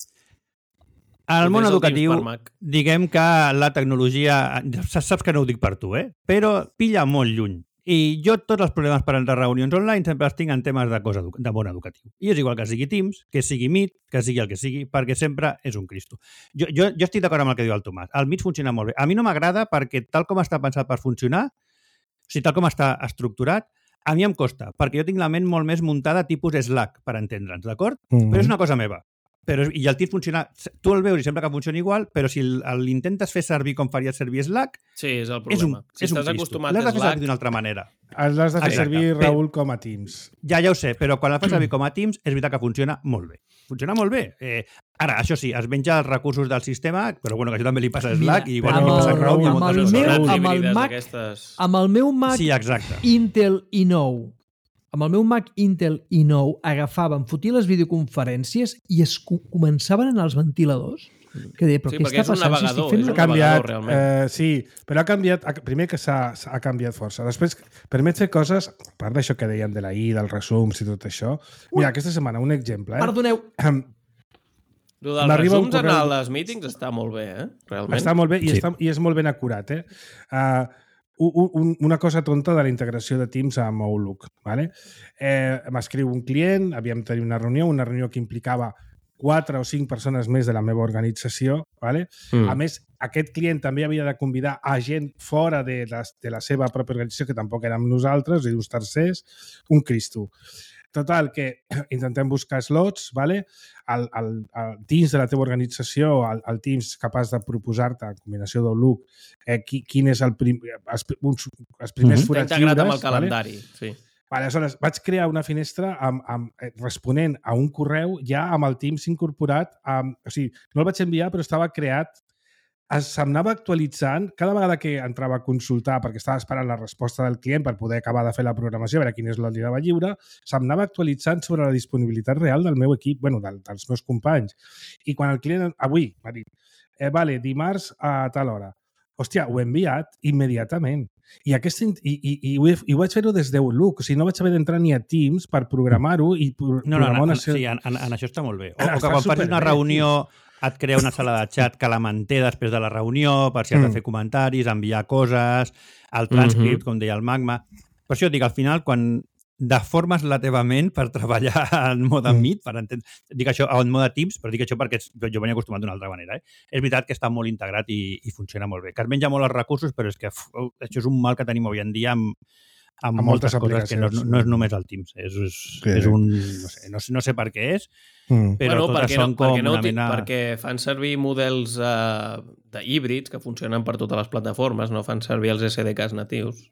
al món educatiu, diguem que la tecnologia... Saps que no ho dic per tu, eh? Però pilla molt lluny. I jo tots els problemes per entrar a reunions online sempre els tinc en temes de, cosa, de món educatiu. I és igual que sigui Teams, que sigui Meet, que sigui el que sigui, perquè sempre és un Cristo. Jo, jo, jo estic d'acord amb el que diu el Tomàs. El Meet funciona molt bé. A mi no m'agrada perquè tal com està pensat per funcionar, o sigui, tal com està estructurat, a mi em costa, perquè jo tinc la ment molt més muntada tipus Slack, per entendre'ns, d'acord? Mm-hmm. Però és una cosa meva. Però, I el Teams funciona... Tu el veus i sembla que funciona igual, però si l'intentes fer servir com faries servir Slack... Sí, és el problema. És un, si és estàs acostumat a Slack... L'has de fer servir d'una altra manera. L'has de fer servir, Raül, com a Teams. Ja, ja ho sé, però quan el fas servir com a Teams és veritat que funciona molt bé. Funciona molt bé. Eh, ara, això sí, es menja els recursos del sistema, però bueno, que això també li passa a Slack i igual amb li passa a Raül. Amb, el meu, amb, el Mac, amb el meu Mac sí, exacte. Intel i nou amb el meu Mac Intel i nou agafàvem, fotia les videoconferències i es començaven a anar els ventiladors. Que deia, però sí, què està passant? Navegador, si estic fent... és un canviat, navegador, eh, sí, però ha canviat, primer que s'ha ha canviat força. Després, permet fer coses, a part d'això que dèiem de la I, dels resums i tot això. Mira, Ui. aquesta setmana, un exemple. Eh? Perdoneu. Lo dels resums correu... en les meetings està molt bé, eh? Realment. Està molt bé i, sí. està, i és molt ben acurat, eh? Uh, un, una cosa tonta de la integració de Teams amb Outlook. ¿Vale? Eh, M'escriu un client, havíem de tenir una reunió, una reunió que implicava quatre o cinc persones més de la meva organització. ¿Vale? Mm. A més, aquest client també havia de convidar a gent fora de la, de la seva pròpia organització, que tampoc érem nosaltres, i uns tercers, un Cristo. Total, que intentem buscar slots, ¿vale? El, el, el Teams de la teva organització, el, el Teams capaç de proposar-te, en combinació d'Outlook, eh, qui, quin és el prim, els, uns, els primers mm-hmm. forats lliures. Integrat amb el calendari, ¿vale? sí. Vale, aleshores, vaig crear una finestra amb, amb, responent a un correu ja amb el Teams incorporat. Amb, o sigui, no el vaig enviar, però estava creat. S'anava actualitzant cada vegada que entrava a consultar, perquè estava esperant la resposta del client per poder acabar de fer la programació, a veure quin és l'oli de lliure, s'anava actualitzant sobre la disponibilitat real del meu equip, bueno, del, dels meus companys. I quan el client, avui, va dir, eh, vale, dimarts a tal hora. Hòstia, ho he enviat immediatament. I, aquest, i, i, i, ho, he, i ho vaig fer-ho des d'Outlook. O sigui, no vaig haver d'entrar ni a Teams per programar-ho i pro no, no, programar en, una... en, sí, en, en, en això està molt bé. O, Ah, o que quan facis una reunió et crea una sala de xat que la manté després de la reunió per si has de fer comentaris, enviar coses, el transcript, mm-hmm. com deia el Magma. Per això et dic, al final, quan deformes la teva ment per treballar en mode mm. Meet, per entendre... Dic això en mode Teams, però dic això perquè jo venia acostumat d'una altra manera. Eh? És veritat que està molt integrat i, i funciona molt bé. Que es menja molt els recursos, però és que uf, això és un mal que tenim avui en dia amb, amb, amb moltes, moltes coses que no, no és només el Teams. És, és, sí. és un... No sé, no, no sé per què és, mm. però bueno, totes són no, com no, una mena... Perquè fan servir models uh, d'híbrids que funcionen per totes les plataformes, no fan servir els S D Ks natius.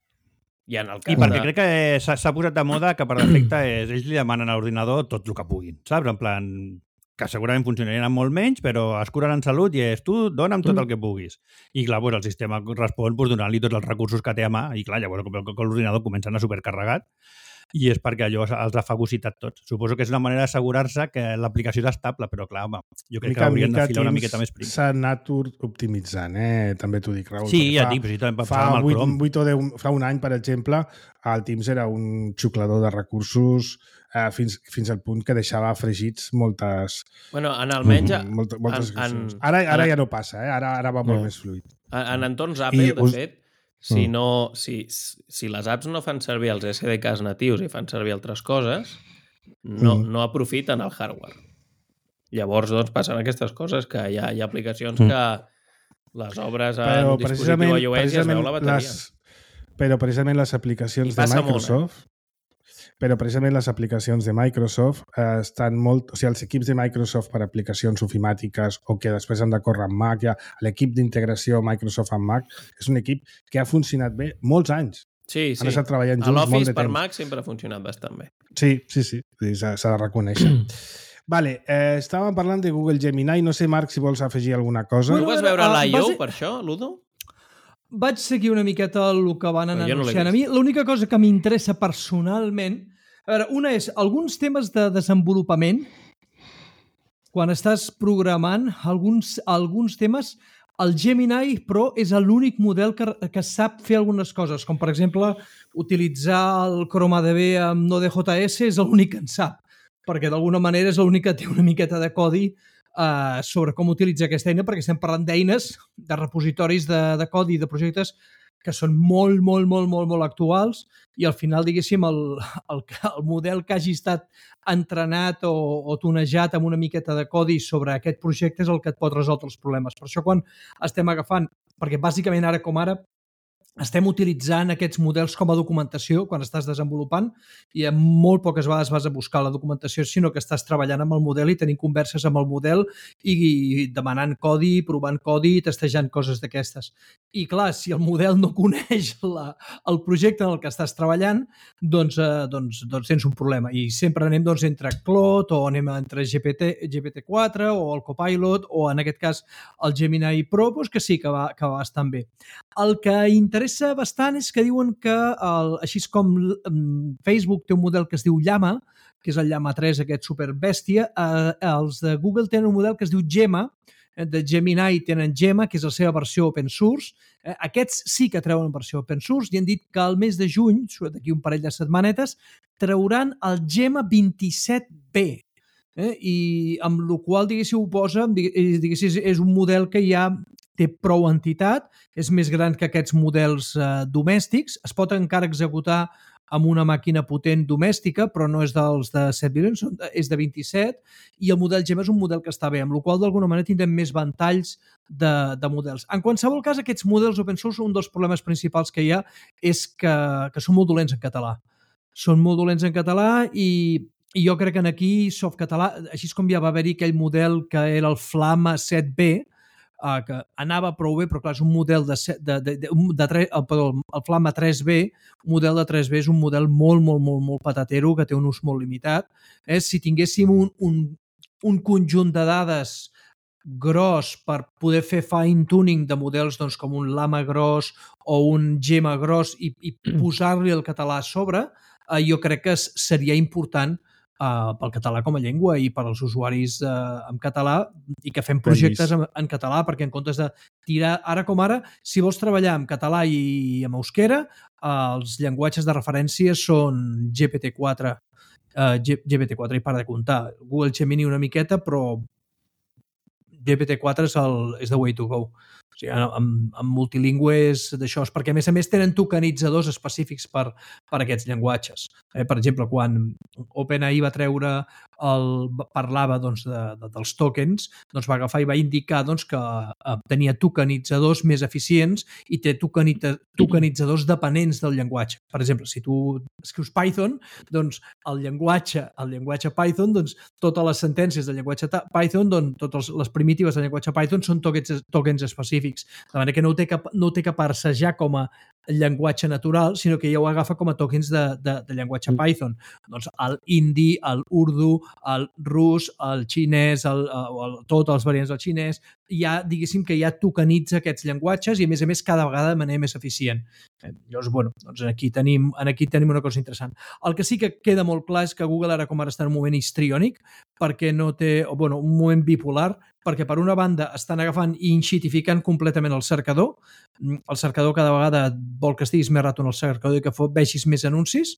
I, en el cas I perquè de... crec que s'ha posat de moda que per defecte és, ells li demanen a l'ordinador tot el que puguin, saps? En plan, que segurament funcionarien amb molt menys, però es curen en salut i és tu, dona'm tot el que puguis. I clar, pues, el sistema respon pues, donant-li tots els recursos que té a mà i clar, llavors l'ordinador comença a anar supercarregat i és perquè allò els ha fagocitat tots. Suposo que és una manera d'assegurar-se que l'aplicació és estable, però clar, home, jo crec mica, que haurien de filar una miqueta més prim. S'ha anat optimitzant, eh? També t'ho dic, Raül. Sí, ja dic, però sí, també fa, vuit, vuit o deu, fa un any, per exemple, el Teams era un xuclador de recursos eh, fins, fins al punt que deixava fregits moltes... Bueno, en almenys... Mm, moltes, moltes en, en, ara ara en, ja no passa, eh? Ara, ara va molt no. més fluid. En, en entorns Apple, I de us... fet, Si, no, si, si les apps no fan servir els S D Ks natius i fan servir altres coses, no, mm. no aprofiten el hardware. Llavors, doncs, passen aquestes coses, que hi ha, hi ha aplicacions mm. que les obres en però dispositiu iOS ja es veu la bateria. Les, però precisament les aplicacions de Microsoft... Molt, eh? Però precisament les aplicacions de Microsoft eh, estan molt... O sigui, els equips de Microsoft per aplicacions ofimàtiques o que després han de córrer amb Mac, ja, l'equip d'integració Microsoft amb Mac és un equip que ha funcionat bé molts anys. Sí, sí. Han estat treballant junts molt de temps. L'Office per Mac sempre ha funcionat bastant bé. Sí, sí, sí. S'ha de reconèixer. Vale, eh, estàvem parlant de Google Gemini. No sé, Marc, si vols afegir alguna cosa. Tu vas veure l'I O per això, Ludo? Vaig seguir una miqueta el que van anar anunciant. No a mi l'única cosa que m'interessa personalment, a veure, una és alguns temes de desenvolupament, quan estàs programant, alguns, alguns temes, el Gemini Pro és l'únic model que, que sap fer algunes coses, com per exemple utilitzar el ChromaDB amb Node.js és l'únic que en sap, perquè d'alguna manera és l'únic que té una miqueta de codi Uh, sobre com utilitzar aquesta eina, perquè estem parlant d'eines, de repositoris de, de codi i de projectes que són molt, molt, molt, molt, molt actuals i al final, diguéssim, el, el, el model que hagi estat entrenat o, o tunejat amb una miqueta de codi sobre aquest projecte és el que et pot resoldre els problemes. Per això quan estem agafant, perquè bàsicament ara com ara estem utilitzant aquests models com a documentació quan estàs desenvolupant i en molt poques vegades vas a buscar la documentació, sinó que estàs treballant amb el model i tenint converses amb el model i, i demanant codi, provant codi i testejant coses d'aquestes. I clar, si el model no coneix la, el projecte en el que estàs treballant, doncs, eh, doncs, doncs tens un problema. I sempre anem doncs, entre Claude o anem entre G P T, G P T quatre o el Copilot o en aquest cas el Gemini Pro, doncs que sí que va, que va bastant bé. El que interessa bastant és que diuen que, el, així com um, Facebook té un model que es diu Llama, que és el Llama tres, aquest superbèstia, eh, els de Google tenen un model que es diu Gemma, eh, de Gemini tenen Gemma, que és la seva versió open source. Eh, aquests sí que treuen versió open source i han dit que al mes de juny, d'aquí un parell de setmanetes, trauran el Gemma vint-i-set B. Eh? I amb la qual, diguéssiu, ho posa, diguéssiu, és un model que ja té prou entitat, és més gran que aquests models eh, domèstics, es pot encara executar amb una màquina potent domèstica, però no és dels de set milions, és de vint-i-set, i el model Gemma és un model que està bé, amb la qual d'alguna manera tindrem més ventalls de, de models. En qualsevol cas, aquests models open source, un dels problemes principals que hi ha és que, que són molt dolents en català. Són molt dolents en català i I jo crec que aquí, Softcatalà, així com ja va haver-hi aquell model que era el Flama set B, uh, que anava prou bé, però clar, és un model de, de, de, de, de, de el, perdó, el Flamma tres B, un model de tres B és un model molt, molt, molt, molt patatero, que té un ús molt limitat. Eh? Si tinguéssim un, un, un conjunt de dades gros per poder fer fine-tuning de models doncs, com un Llama gros o un Gemma gros i, i posar-li el català a sobre, eh, jo crec que seria important eh, pel català com a llengua i per als usuaris eh, en català i que fem projectes en, en català, perquè en comptes de tirar, ara com ara, si vols treballar en català i en euskera, eh, els llenguatges de referència són G P T quatre, eh, G P T quatre i para de comptar, Google Gemini una miqueta, però G P T quatre és, el, és the way to go. O sigui, amb, amb multilingües d'això, perquè a més a més tenen tokenitzadors específics per, per aquests llenguatges. Eh, per exemple, quan OpenAI va treure el, parlava doncs, de, de, dels tokens, doncs va agafar i va indicar doncs, que eh, tenia tokenitzadors més eficients i té tokenita, tokenitzadors dependents del llenguatge. Per exemple, si tu escrius Python, doncs el llenguatge, el llenguatge Python, doncs totes les sentències del llenguatge Python, doncs totes les primitives del llenguatge Python són tokens, tokens específics. De manera que no ho té que, no ho té que parsejar com a llenguatge natural, sinó que ja ho agafa com a tokens de, de, de llenguatge Python. Doncs el hindi, el urdu, el rus, el xinès, el, el, tots els variants del xinès, ja, diguéssim que ja tokenitza aquests llenguatges i, a més a més, cada vegada de manera més eficient. Llavors, bueno, doncs aquí tenim, aquí tenim una cosa interessant. El que sí que queda molt clar és que Google ara com ara està en un moment histriònic, perquè no té, o, bueno, un moment bipolar, perquè per una banda estan agafant i inxitificant completament el cercador. El cercador cada vegada vol que estiguis més rato en el cercador i que vegis més anuncis,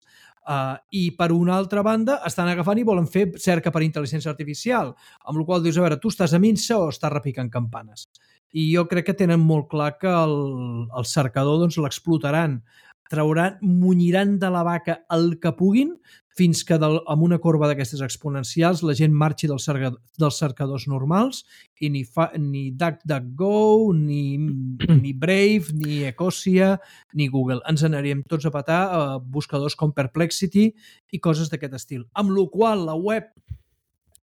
uh, i per una altra banda estan agafant i volen fer cerca per intel·ligència artificial, amb la qual dius, a veure, tu estàs a minsa o estàs repicant campanes? I jo crec que tenen molt clar que el, el cercador doncs, l'explotaran, trauran, munyiran de la vaca el que puguin fins que del, amb una corba d'aquestes exponencials la gent marxi del cercador, dels cercadors normals i ni, fa, ni DuckDuckGo, ni, ni Brave, ni Ecosia, ni Google. Ens anirem tots a petar a buscadors com Perplexity i coses d'aquest estil. Amb la qual la web,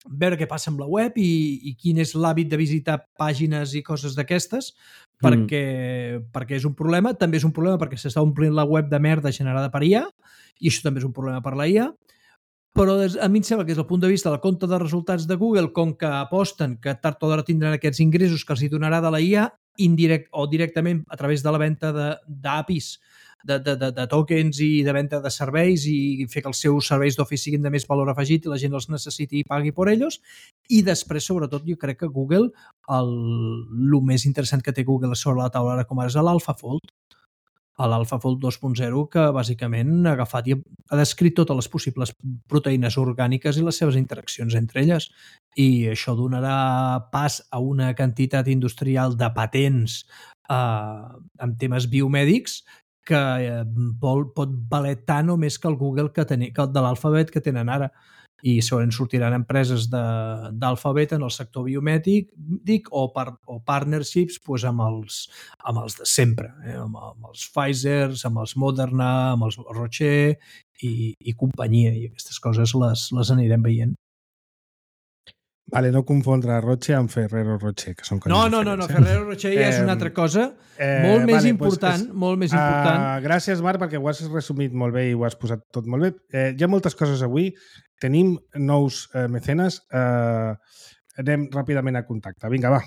veure què passa amb la web i, i quin és l'hàbit de visitar pàgines i coses d'aquestes, perquè, mm. perquè és un problema. També és un problema perquè s'està omplint la web de merda generada per I A, i això també és un problema per la I A, però a mi em sembla que des del punt de vista del compte de resultats de Google, com que aposten que tard o d'hora tindran aquests ingressos que els hi donarà de la I A, indirect o directament a través de la venda d'A P Is, de, de, de, de tokens i de venda de serveis i fer que els seus serveis d'Office siguin de més valor afegit i la gent els necessiti i pagui per ells. I després, sobretot, jo crec que Google, el, el més interessant que té Google sobre la taula ara com ara és l'AlphaFold, l'AlphaFold dos punt zero, que bàsicament ha agafat i ha descrit totes les possibles proteïnes orgàniques i les seves interaccions entre elles. I això donarà pas a una quantitat industrial de patents eh, en temes biomèdics que eh, vol, pot valer tant o més que el Google que, ten, que el de l'Alphabet que tenen ara. I segurament sortiran empreses d'Alphabet en el sector biomèdic dic, o, par, o partnerships pues, amb, els, amb els de sempre, eh? amb, amb els Pfizer, amb els Moderna, amb els Rocher i, i companyia, i aquestes coses les, les anirem veient. Vale, no confondre Roche amb Ferrero Rocher, que són coses no, no, diferents. No, no, eh? Ferrero Rocher ja és una altra cosa, eh, molt més vale, important, pues és, molt més important. Uh, gràcies, Marc, perquè ho has resumit molt bé i ho has posat tot molt bé. Eh, hi ha moltes coses avui. Tenim nous eh, mecenes. Eh, anem ràpidament a contacte. Vinga, va.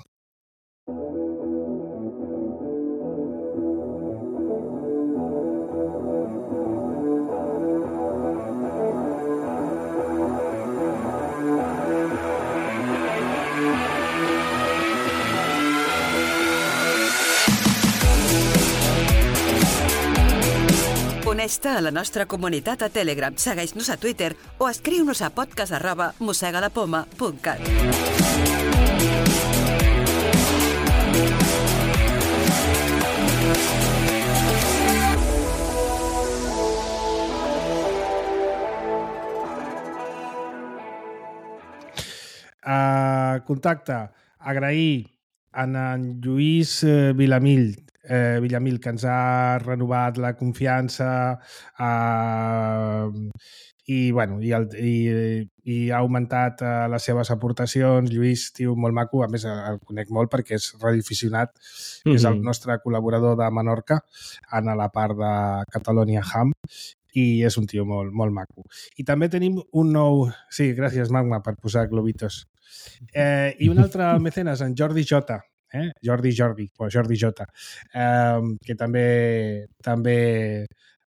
Uneix-te a la nostra comunitat a Telegram, segueix-nos a Twitter o escriu-nos a podcast arroba mosegalapoma punt cat. Uh, contacte. Agrair a en Lluís eh, Vilamill Eh, Villamil, que ens ha renovat la confiança eh, i, bueno, i, el, i, i ha augmentat uh, les seves aportacions. Lluís, tio, molt maco, a més el conec molt perquè és radioaficionat, mm-hmm. és el nostre col·laborador de Menorca en la part de Catalonia Ham i és un tio molt, molt maco. I també tenim un nou... Sí, gràcies, Magma, per posar globitos. Eh, I un altre mecenes, en Jordi Jota, eh? Jordi Jordi, o Jordi Jota, eh, que també també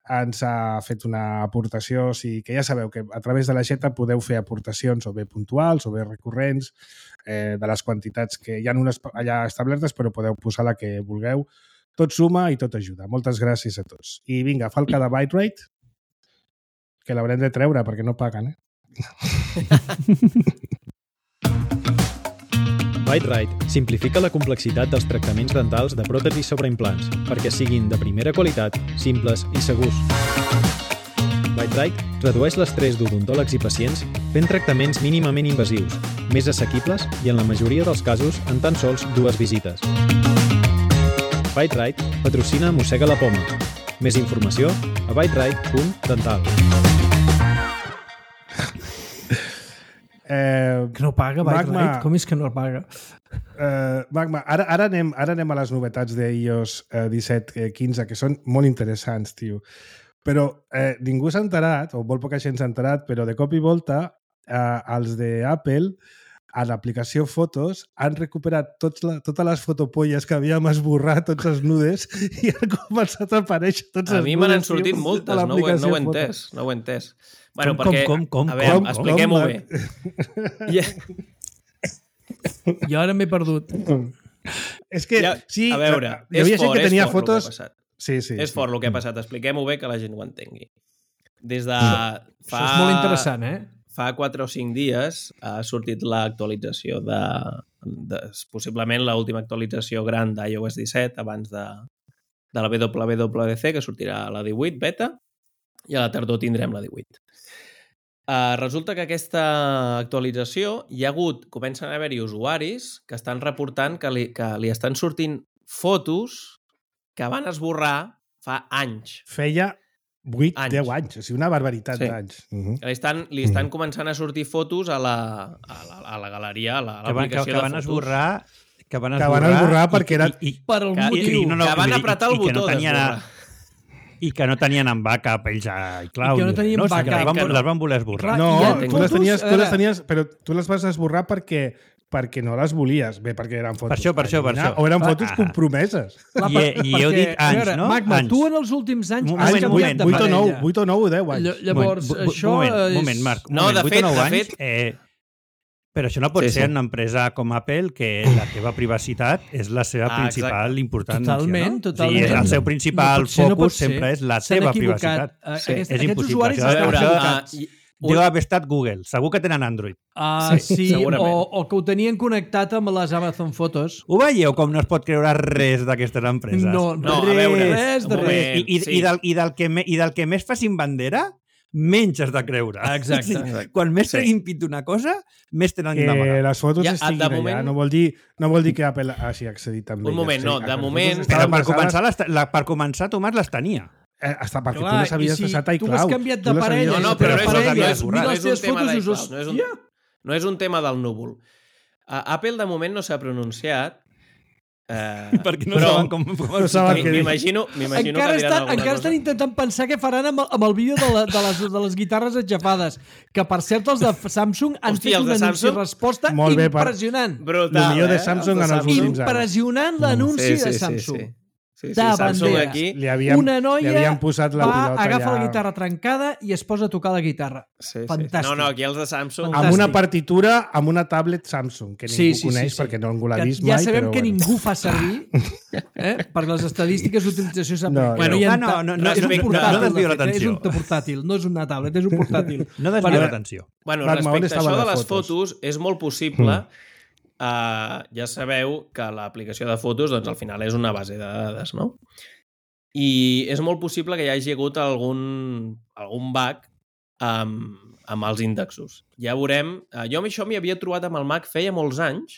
ens ha fet una aportació, o sigui, que ja sabeu que a través de la xeta podeu fer aportacions o bé puntuals o bé recurrents eh, de les quantitats que hi ha unes allà establertes, però podeu posar la que vulgueu. Tot suma i tot ajuda. Moltes gràcies a tots. I vinga, falca de Byte-Rate, que l'haurem de treure perquè no paguen, eh? Byte-Rate simplifica la complexitat dels tractaments dentals de pròtesis sobre implants perquè siguin de primera qualitat, simples i segurs. Byte-Rate redueix l'estrès d'odontòlegs i pacients fent tractaments mínimament invasius, més assequibles i en la majoria dels casos en tan sols dues visites. Byte-Rate patrocina Mossega la Poma. Més informació a byterate punt dental. Eh, que no paga, Byte-Rate? Com és que no el paga? Eh, Magma, ara, ara, anem, ara anem a les novetats d'iOS eh, disset quinze, que són molt interessants, tio. Però eh, ningú s'ha enterat, o molt poca gent s'ha enterat, però de cop i volta eh, els d'Apple a l'aplicació Fotos han recuperat tots la, totes les fotopolles que havíem esborrat, tots els nudes, i han començat a aparèixer tots els nudes. A mi me n'han sortit moltes, no ho, no ho he entès. No ho he entès. Bueno, com, perquè, com, com, a veure, com, expliquem-ho bé. Yeah. Jo ara m'he perdut. És que, ja, sí, a veure, hi havia és gent fort, que tenia és fort fotos... el que ha passat. Sí, sí. És sí. fort el que ha passat. Expliquem-ho bé que la gent ho entengui. Des de fa... Això és molt interessant, eh? Fa quatre o cinc dies ha sortit l'actualització de, de... Possiblement l'última actualització gran d'iOS disset abans de, de la W W D C, que sortirà a la divuit beta, i a la tardor tindrem la divuit. Uh, resulta que aquesta actualització hi ha hagut, comencen a haver-hi usuaris que estan reportant que li, que li estan sortint fotos que van esborrar fa anys. Feia vuit, deu anys, o sigui, una barbaritat sí. d'anys. Uh-huh. Li estan, li estan uh-huh. començant a sortir fotos a la, a la, a la galeria, a l'aplicació que, que, que van de fotos. Esborrar, que van esborrar, que van esborrar perquè era... I, i, per el que, motiu. I, no, no, que van apretar el botó no d'esborrar. I que no tenien en backup ells a iCloud. I que no tenien no, backup. Les van, no. les van voler esborrar. No, tu fotos, les, tenies, tu les ara... tenies, però tu les vas esborrar perquè perquè no les volies. Bé, perquè eren fotos. Per això, per això, per això. O eren fotos ah. compromeses. Clar, I, i heu dit anys, veure, no? Magma, anys. tu en els últims anys Un has moment, canviat de vuit o nou, parella. vuit o nou o deu anys. Llavors, moment, això moment, és... moment, Marc. No, moment, de vuit fet, o nou de anys, fet... Eh, però això no pot sí, ser sí. una empresa com Apple que la teva privacitat és la seva Ah, principal exacte. importància. Totalment, no? totalment. O sigui, el seu principal no ser, no focus ser. sempre és la S'han teva equivocat. privacitat. Uh, Sí, aquest, és aquests impossible. usuaris Això- estan això- equivocats. Uh, Deu haver estat Google. Segur que tenen Android. Uh, sí, sí segurament. o, o que ho tenien connectat amb les Amazon Fotos. Ho veieu com no es pot creure res d'aquestes empreses? No, No, res, a veure, res de un res. moment. I, i, Sí. i, del, i, del que me, I del que més facin bandera, menys has de creure. Exacte. Sí. Quan més Sí. treguin pit d'una cosa, més tenen Que d'amagar. les fotos Ja, ja, estiguin de allà. moment- No vol dir, no vol dir que Apple hagi accedit també. Un moment, no, de moment- Però per començar, les, la, per començar, Tomàs les tenia. Eh, està, perquè Clar, tu les havies i si deixat a tu iCloud. has canviat de Tu les parella, havies No, no, deixat però a no és, parella, no iCloud. és, mira no les és un teves tema fotos i d'iCloud, us- no és un, Ja. no és un tema del núvol. Uh, Apple de moment no s'ha pronunciat, uh, Perquè no però saben com... com No saben m- què dir. m'imagino m'imagino Encara que diran estan, alguna encara cosa. estan intentant pensar què faran amb el, amb el vídeo de, la, de, les, de les guitarres enxafades. Que, per cert, els de Samsung han Hòstia, fet els un de anunci Samsung? resposta Molt bé, per- impressionant. Brutal, El millor de eh? Samsung Els de en els últims anys. Impressionant l'anunci de Samsung. Sí, sí. Sí, sí, De Samsung bandera. aquí... Li havien, Una noia li havien posat la va, pilota agafa ja... la guitarra trencada i es posa a tocar la guitarra. Sí, sí. Fantàstic. No, no, aquí els de Samsung... Fantàstic. Amb una partitura, amb una tablet Samsung, que ningú Sí, sí, coneix sí, sí. perquè no ningú l'ha Que vist ja mai. sabem però que bueno. ningú fa servir eh? perquè les estadístiques d'utilització s'han... No, bueno, no. hi ha Ah, no, no, no, és un no, no, portàtil, no desviïu de fet, eh? l'atenció. És un portàtil, no és una tablet, és un portàtil. No desviïu Bueno, l'atenció. Bueno, Magma, on respecte a estaven això de les les fotos, fotos? és molt possible... Uh, ja sabeu que l'aplicació de fotos doncs, al final és una base de dades, no? I és molt possible que hi hagi hagut algun, algun bug amb, amb els índexos. Ja veurem... Uh, jo amb això m'hi havia trobat amb el Mac feia molts anys.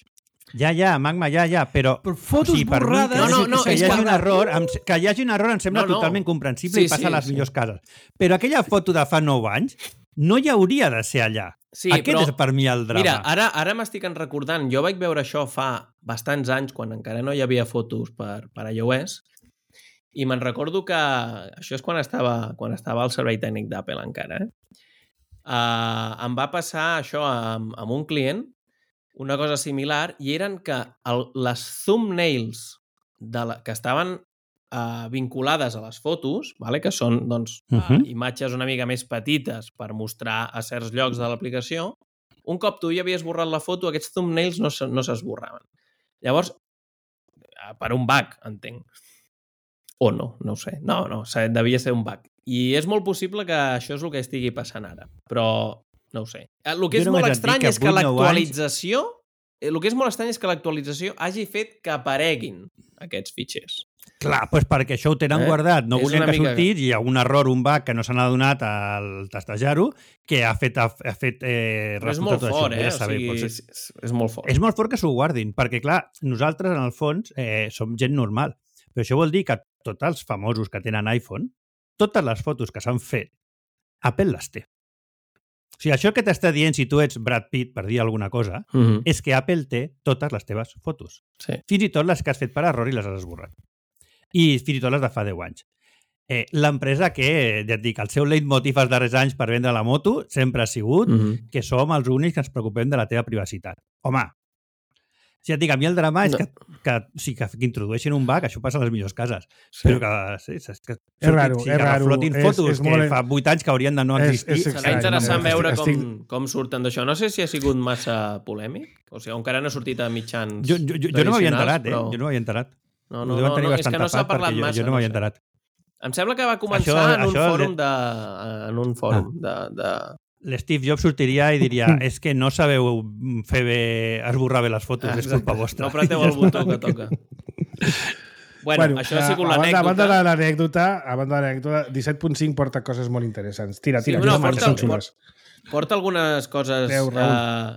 Ja, ja, Magma, ja, ja, però... Però fotos per mi, borrades... que, No, no, no, que, és hi hagi que- un error, em, que hi hagi un error em sembla No, no. totalment comprensible Sí, i passa sí, a les sí. millors cases. Però aquella foto de fa nou anys, no hi hauria de ser allà. Sí, Aquest però, és per mi el drama. Mira, ara, ara m'estic recordant, jo vaig veure això fa bastants anys, quan encara no hi havia fotos per, per iOS, i me'n recordo que això és quan estava, quan estava al servei tècnic d'Apple encara. Eh? Uh, em va passar això amb, amb un client, una cosa similar, i eren que el, les thumbnails de la, que estaven uh, vinculades a les fotos, vale? Que són doncs, uh -huh. uh, imatges una mica més petites per mostrar a certs llocs de l'aplicació, un cop tu ja havies esborrat la foto, aquests thumbnails no, no s'esborraven. Llavors, per un bug, entenc. O no, no ho sé. No, no, devia ser un bug. I és molt possible que això és el que estigui passant ara. Però no ho sé. El que és molt estrany és que l'actualització... El que és molt estrany és que l'actualització hagi fet que apareguin aquests fitxers. Clar, doncs perquè això ho tenen eh? guardat. No volien que sortís i hi ha un error, un bug que no s'han adonat al testejar-ho, que ha fet, ha fet eh, Però és molt fort, eh? O sigui, és, és molt fort. És molt fort que s'ho guardin, perquè, clar, nosaltres, en el fons, eh, som gent normal. Però això vol dir que tots els famosos que tenen iPhone, totes les fotos que s'han fet, Apple les té. O sigui, això que t'està dient si tu ets Brad Pitt, per dir alguna cosa, uh-huh. és que Apple té totes les teves fotos. Sí. Fins i tot les que has fet per error i les has esborrat. I fins i tot les de fa deu anys. Eh, L'empresa que, ja et dic, el seu leitmotiv els darrers anys per vendre la moto sempre ha sigut uh-huh. que som els únics que ens preocupem de la teva privacitat. Home, si et dic, a mi el drama és no. que, que, sí, que, que introdueixin un bug, això passa a les millors cases. Sí. Però que, sí, és, que, és raro, sí, és que raro. flotin fotos és, és que molt... fa vuit anys que haurien de no existir. És, és Serà interessant veure estic, com, estic... com surten d'això. No sé si ha sigut massa polèmic, o sigui, encara no ha sortit a mitjans Jo, jo, jo, jo no m'havia enterat, però... eh? Jo no m'havia enterat. No, no, no, no és que no s'ha parlat jo, massa. Jo no m'havia enterat. Em sembla que va començar això, en, un això fòrum de, en un fòrum ah. de... de... L'Steve Jobs sortiria i diria és que no sabeu fer bé, esborrar bé les fotos, ah, és culpa vostra. No apreteu el botó que toca. Bueno, bueno, això ha sigut l'anècdota. A banda de l'anècdota, a banda de l'anècdota, disset punt cinc porta coses molt interessants. Tira, tira. Sí, no, porta, porta, porta algunes coses... Déu, uh,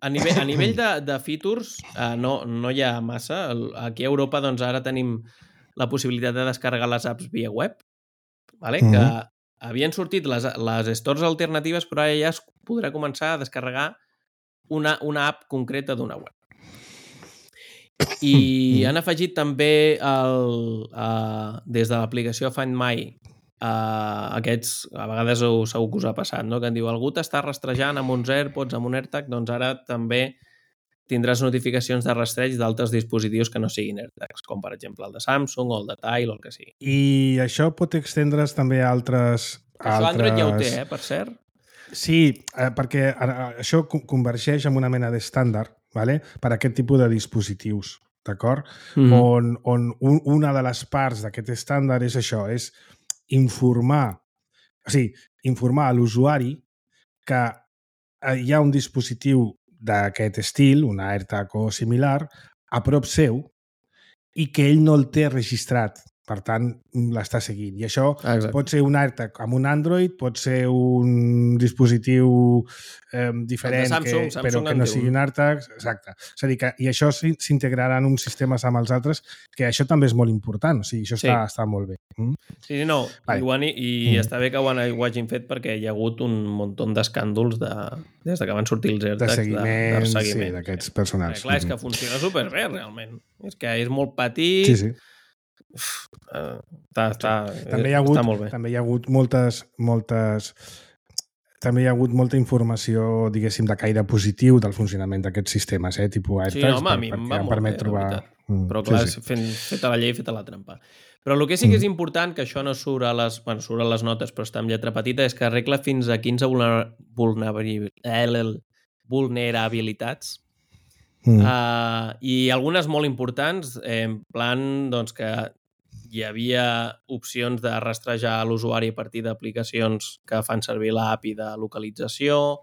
a nivell, a nivell de, de features, uh, no, no hi ha massa. Aquí a Europa doncs, ara tenim la possibilitat de descarregar les apps via web, vale? Mm -hmm. que havien sortit les, les stores alternatives, però ara ja es podrà començar a descarregar una, una app concreta d'una web. I han afegit també el, uh, des de l'aplicació Find My uh, aquests, a vegades segur que us ha passat, no? Que en diu algú t'està rastrejant amb uns AirPods, amb un AirTag, doncs ara també tindràs notificacions de rastreig d'altres dispositius que no siguin AirTags, com per exemple el de Samsung o el de Tile o el que sigui. I això pot extendre's també a altres... Això altres... Android ja ho té, eh, per cert. Sí, eh, perquè això convergeix en una mena d'estàndard, vale? Per a aquest tipus de dispositius, d'acord? Mm-hmm. On, on un, una de les parts d'aquest estàndard és això, és informar, o sigui, informar a l'usuari que hi ha un dispositiu d'aquest estil, un AirTag o similar, a prop seu i que ell no el té registrat. Per tant, l'està seguint. I això Exacte. pot ser un AirTag amb un Android, pot ser un dispositiu eh, diferent, Samsung, que, Samsung però que no sigui un AirTag. Exacte. És a dir, que, i això s'integrarà en uns sistemes amb els altres, que això també és molt important. O sigui, això sí. està, està molt bé. Mm? Sí, sí, no. Vale. I, han, i mm. està bé que ho, han, ho hagin fet perquè hi ha hagut un munt d'escàndols de, des de que van sortir els AirTags. De seguiment, de, de seguiment. Sí, d'aquests personals. Clar, és que funciona superbé, realment. És que és molt petit... Sí, sí. Uf, uh, està, està, també hi ha hagut, està molt bé. També hi ha hagut moltes, moltes... També hi ha hagut molta informació, diguéssim, de caire positiu del funcionament d'aquests sistemes, eh? Tipus AirTags, sí, home, a mi per, em va em molt permet bé, trobar... Però clar, sí, sí. Fent, feta la llei, feta la trampa. Però el que sí que és important, que això no surt a les, bueno, surt a les notes, però està en lletra petita, és que arregla fins a quinze vulnerabilitats. Mm. Uh, i algunes molt importants, eh, en plan doncs, que hi havia opcions de rastrejar l'usuari a partir d'aplicacions que fan servir l'app i de localització.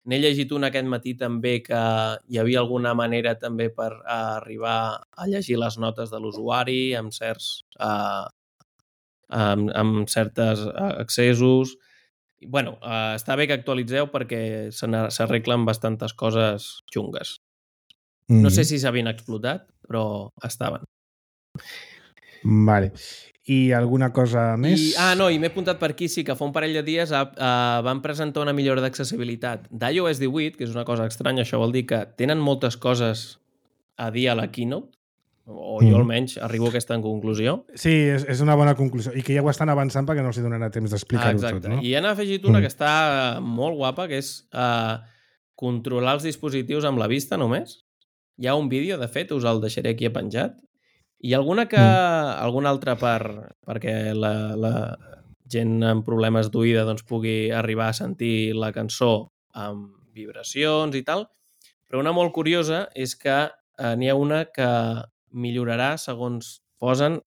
N'he llegit un aquest matí també que hi havia alguna manera també per uh, arribar a llegir les notes de l'usuari amb certs uh, amb, amb certes accessos. Bueno, uh, està bé que actualitzeu perquè s'arreglen bastantes coses xungues. No sé si s'havien explotat, però estaven. Vale. I alguna cosa més? I, ah, no, i m'he apuntat per aquí, sí, que fa un parell de dies uh, uh, van presentar una millora d'accessibilitat d'iOS divuit, que és una cosa estranya, això vol dir que tenen moltes coses a dir a la keynote, o jo almenys arribo a aquesta conclusió. Sí, és, és una bona conclusió. I que ja ho estan avançant perquè no els donarà temps d'explicar-ho ah, tot, no? I han afegit una mm. que està molt guapa, que és uh, controlar els dispositius amb la vista només. Hi ha un vídeo, de fet, us el deixaré aquí penjat. I alguna que... Mm. alguna altra per, perquè la, la gent amb problemes d'oïda doncs, pugui arribar a sentir la cançó amb vibracions i tal. Però una molt curiosa és que eh, n'hi ha una que millorarà, segons posen,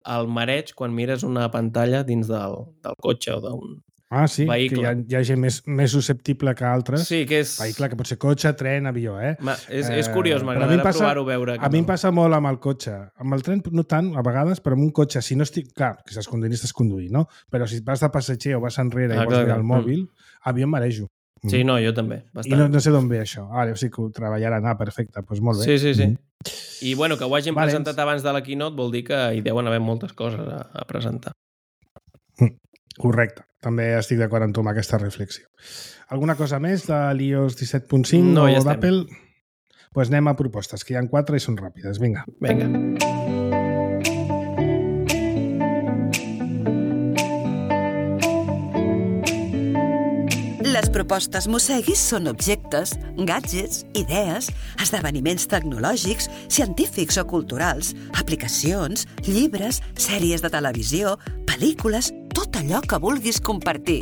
el mareig quan mires una pantalla dins del, del cotxe o d'un ah, sí, vehicle. Que hi ha, hi ha gent més, més susceptible que altres. Sí, que és... Vehicle, que pot ser cotxe, tren, avió, eh? Ma, és, és curiós, eh, m'agradarà provar-ho veure. A no. mi em passa molt amb el cotxe. Amb el tren no tant, a vegades, però amb un cotxe, si no estic... Clar, que estàs conduint, estàs conduint, no? Però si vas de passatger o vas enrere ah, i vols mirar el mòbil, mm. a mi em marejo. Sí, no, jo també. Bastant. I no, no sé d'on ve això. Ara, o sigui que ho treballaran. Ah, perfecte, doncs molt bé. Sí, sí, sí. Mm. I bueno, que ho hagin Valents. presentat abans de la keynote vol dir que hi deuen haver moltes coses a, a presentar. Mm. Correcte. També estic d'acord amb tu amb aquesta reflexió. Alguna cosa més de l'i o essa disset punt cinc no, o ja d'Apple? Doncs pues anem a propostes, que hi ha quatre i són ràpides. Vinga. Vinga. Les propostes Mosseguis són objectes, gadgets, idees, esdeveniments tecnològics, científics o culturals, aplicacions, llibres, sèries de televisió, pel·lícules, tot allò que vulguis compartir.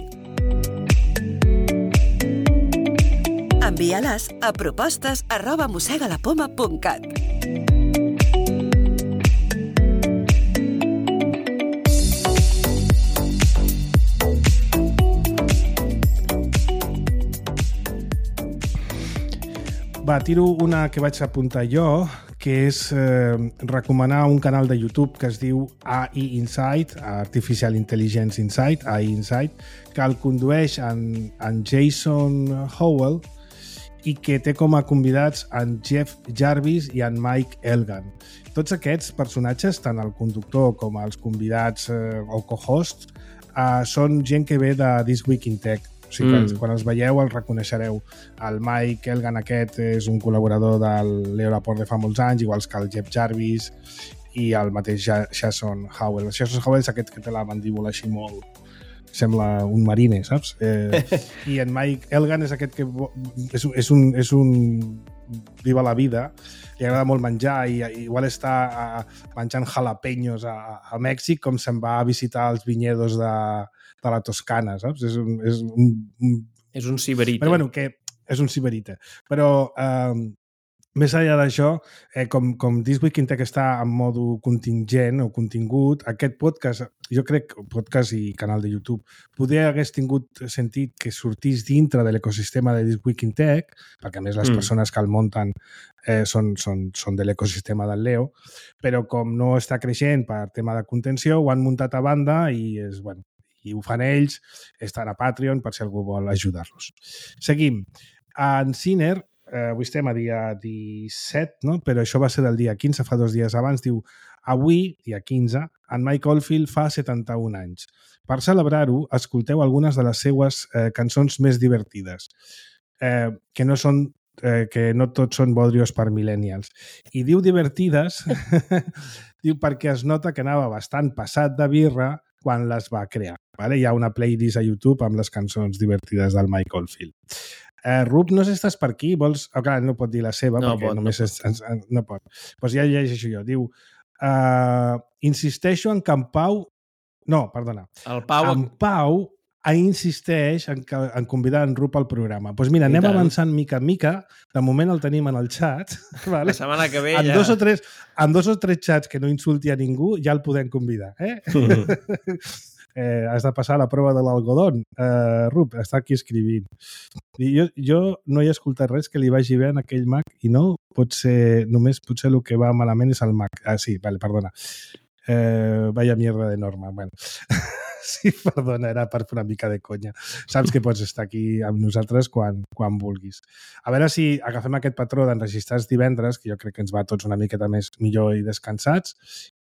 Envia-les a propostes arroba mossegalapoma punt cat. Va, tiro una que vaig apuntar jo, que és eh, recomanar un canal de YouTube que es diu A I Insight, Artificial Intelligence Insight, A I Insight, que el condueix en, en Jason Howell i que té com a convidats en Jeff Jarvis i en Mike Elgan. Tots aquests personatges, tant el conductor com els convidats eh, o co-hosts, eh, són gent que ve de This Week in Tech. O sigui, mm. quan els veieu els reconeixereu. El Mike Elgan aquest és un col·laborador del Leo Laporte de fa molts anys, igual que el Jeff Jarvis i el mateix Jason Howell. El Jason Howell és aquest que té la mandíbula així molt... Sembla un marine, saps? Eh, I en Mike Elgan és aquest que és, és, un, és un viva la vida, li agrada molt menjar i, i igual està a, menjant jalapeños a, a Mèxic com se'n va a visitar els vinyedos de, de la Toscana, saps? És un... És un, un... És un siberita. Però bueno, que és un siberita. Però... Eh, més enllà d'això, eh, com, com This Week in Tech està en modo contingent o contingut, aquest podcast, jo crec, podcast i canal de YouTube, poder hagués tingut sentit que sortís dintre de l'ecosistema de This Week in Tech, perquè a més les mm. persones que el munten eh, són, són, són de l'ecosistema del Leo, però com no està creixent per tema de contenció, ho han muntat a banda i, és, bueno, i ho fan ells, estan a Patreon per si algú vol ajudar-los. Seguim. En Ciner, Eh, avui estem a dia disset, no? Però això va ser del dia quinze, fa dos dies abans. Diu, avui, dia quinze, en Mike Oldfield fa setanta-un anys. Per celebrar-ho, escolteu algunes de les seues eh, cançons més divertides, eh, que no són eh, que no tots són bodrios per millennials. I diu divertides diu perquè es nota que anava bastant passat de birra quan les va crear. Vale? Hi ha una playlist a YouTube amb les cançons divertides del Mike Oldfield. Eh, Rup, no sé si estàs per aquí, vols... Oh, clar, no pot dir la seva, no perquè pot, només no és... Pot. No pot. Doncs ja llegeixo jo. Diu, uh, insisteixo en que en Pau... No, perdona. El Pau... En Pau insisteix en, que, en convidar en Rup al programa. Doncs mira, anem avançant mica en mica. De moment el tenim en el xat. Vale? La setmana que ve en ja... Dos o tres, en dos o tres xats que no insulti a ningú ja el podem convidar. Eh? Eh, has de passar la prova de l'algodón. Eh, Rup, està aquí escrivint. I jo, jo no he escoltat res que li vagi bé en aquell Mac i no, pot ser, només potser el que va malament és el Mac. Ah, sí, vale, perdona. Eh, vaya mierda de norma. Bueno. Sí, perdona, era per fer una mica de conya. Saps que pots estar aquí amb nosaltres quan, quan vulguis. A veure si agafem aquest patró d'enregistrar els divendres, que jo crec que ens va tots una miqueta més millor i descansats,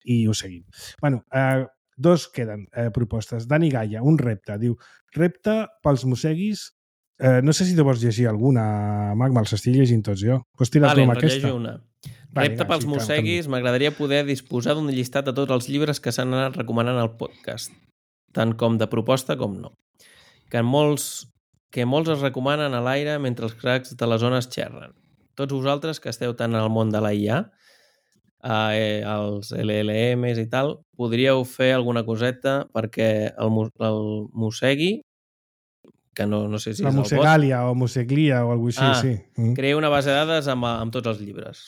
i ho seguim. Bueno, eh, dos queden eh, propostes. Dani Gaia, un repte. Diu, repte pels mosseguis. Eh, no sé si te vols llegir alguna, Mac, me'ls estic llegint tots jo. Pots tirar vale, tu amb aquesta? una. Repte pels sí, mosseguis, m'agradaria poder disposar d'un llistat de tots els llibres que s'han anat recomanant al podcast, tant com de proposta com no. Que molts, que molts es recomanen a l'aire mentre els cracs de les zones xerren. Tots vosaltres que esteu tant al món de la I A, eh, els L L Ms i tal, podríeu fer alguna coseta perquè el, el mossegui, que no, no sé si la és el Mossegalia o Mosseglia o alguna cosa així, ah, sí. Mm. Crea una base de dades amb, amb tots els llibres.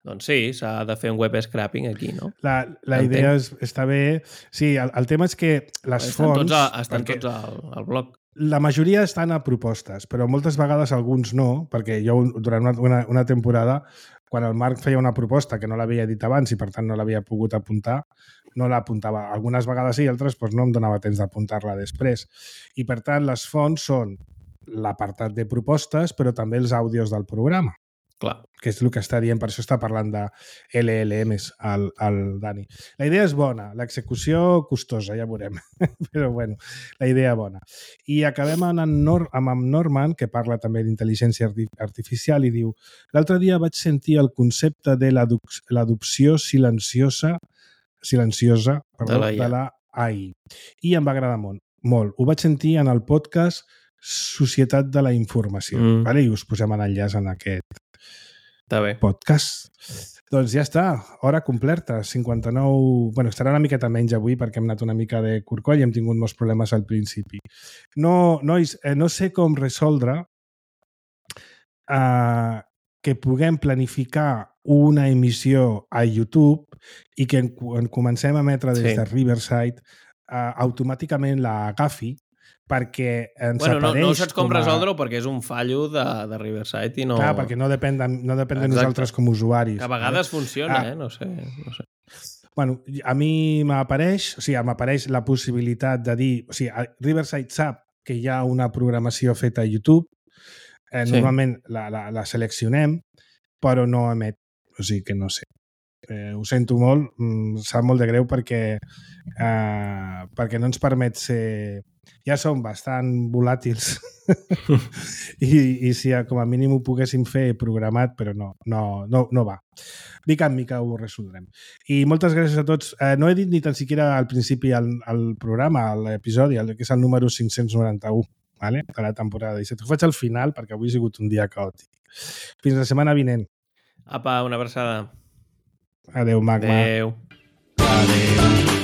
Doncs sí, s'ha de fer un web scrapping aquí, no? La, la idea és, està bé. Sí, el, el tema és que les estan fonts... Tots a, estan tots al, al blog. La majoria estan a propostes, però moltes vegades alguns no, perquè jo durant una, una, una temporada, quan el Marc feia una proposta que no l'havia dit abans i per tant no l'havia pogut apuntar, no l'apuntava. Algunes vegades sí, altres doncs no em donava temps d'apuntar-la després. I per tant les fonts són l'apartat de propostes, però també els àudios del programa. Clar. Que és el que està dient, per això està parlant de L L Ms al, al Dani. La idea és bona, l'execució costosa, ja veurem, però bueno, la idea bona. I acabem amb en, Nor amb en Norman, que parla també d'intel·ligència artificial i diu, l'altre dia vaig sentir el concepte de l'adopció silenciosa silenciosa perdó, de la A I i em va agradar molt, molt. Ho vaig sentir en el podcast Societat de la Informació, mm. vale? I us posem l'enllaç en aquest Està bé. podcast. Doncs ja està, hora completa, cinquanta-nou... Bueno, estarà una miqueta menys avui perquè hem anat una mica de corcoll i hem tingut molts problemes al principi. No, nois, eh, no sé com resoldre eh, que puguem planificar una emissió a YouTube i que en, en comencem a emetre des sí. de Riverside eh, automàticament la agafi perquè ens bueno, apareix... No, no saps com, com a... resoldre-ho perquè és un fallo de, de Riverside i no... Clar, perquè no depèn de, no depèn de nosaltres com a usuaris. Que a vegades eh? funciona, ah, eh? No sé, no sé. Bueno, a mi m'apareix, o sigui, m'apareix la possibilitat de dir... O sigui, Riverside sap que hi ha una programació feta a YouTube, eh, sí. Normalment la, la, la seleccionem, però no emet. O sigui que no sé. Eh, ho sento molt, em sap molt de greu perquè, eh, perquè no ens permet ser... Ja som bastant volàtils I, i si com a mínim ho poguéssim fer programat, però no, no, no, no va. Mica en mica ho resoldrem. I moltes gràcies a tots. Eh, no he dit ni tan siquiera al principi el, el programa, l'episodi, que és el número cinc-cents noranta-u, vale? De la temporada disset. Ho faig al final perquè avui ha sigut un dia caòtic. Fins la setmana vinent. Apa, una abraçada. Adéu, Magma. Adéu. Adéu.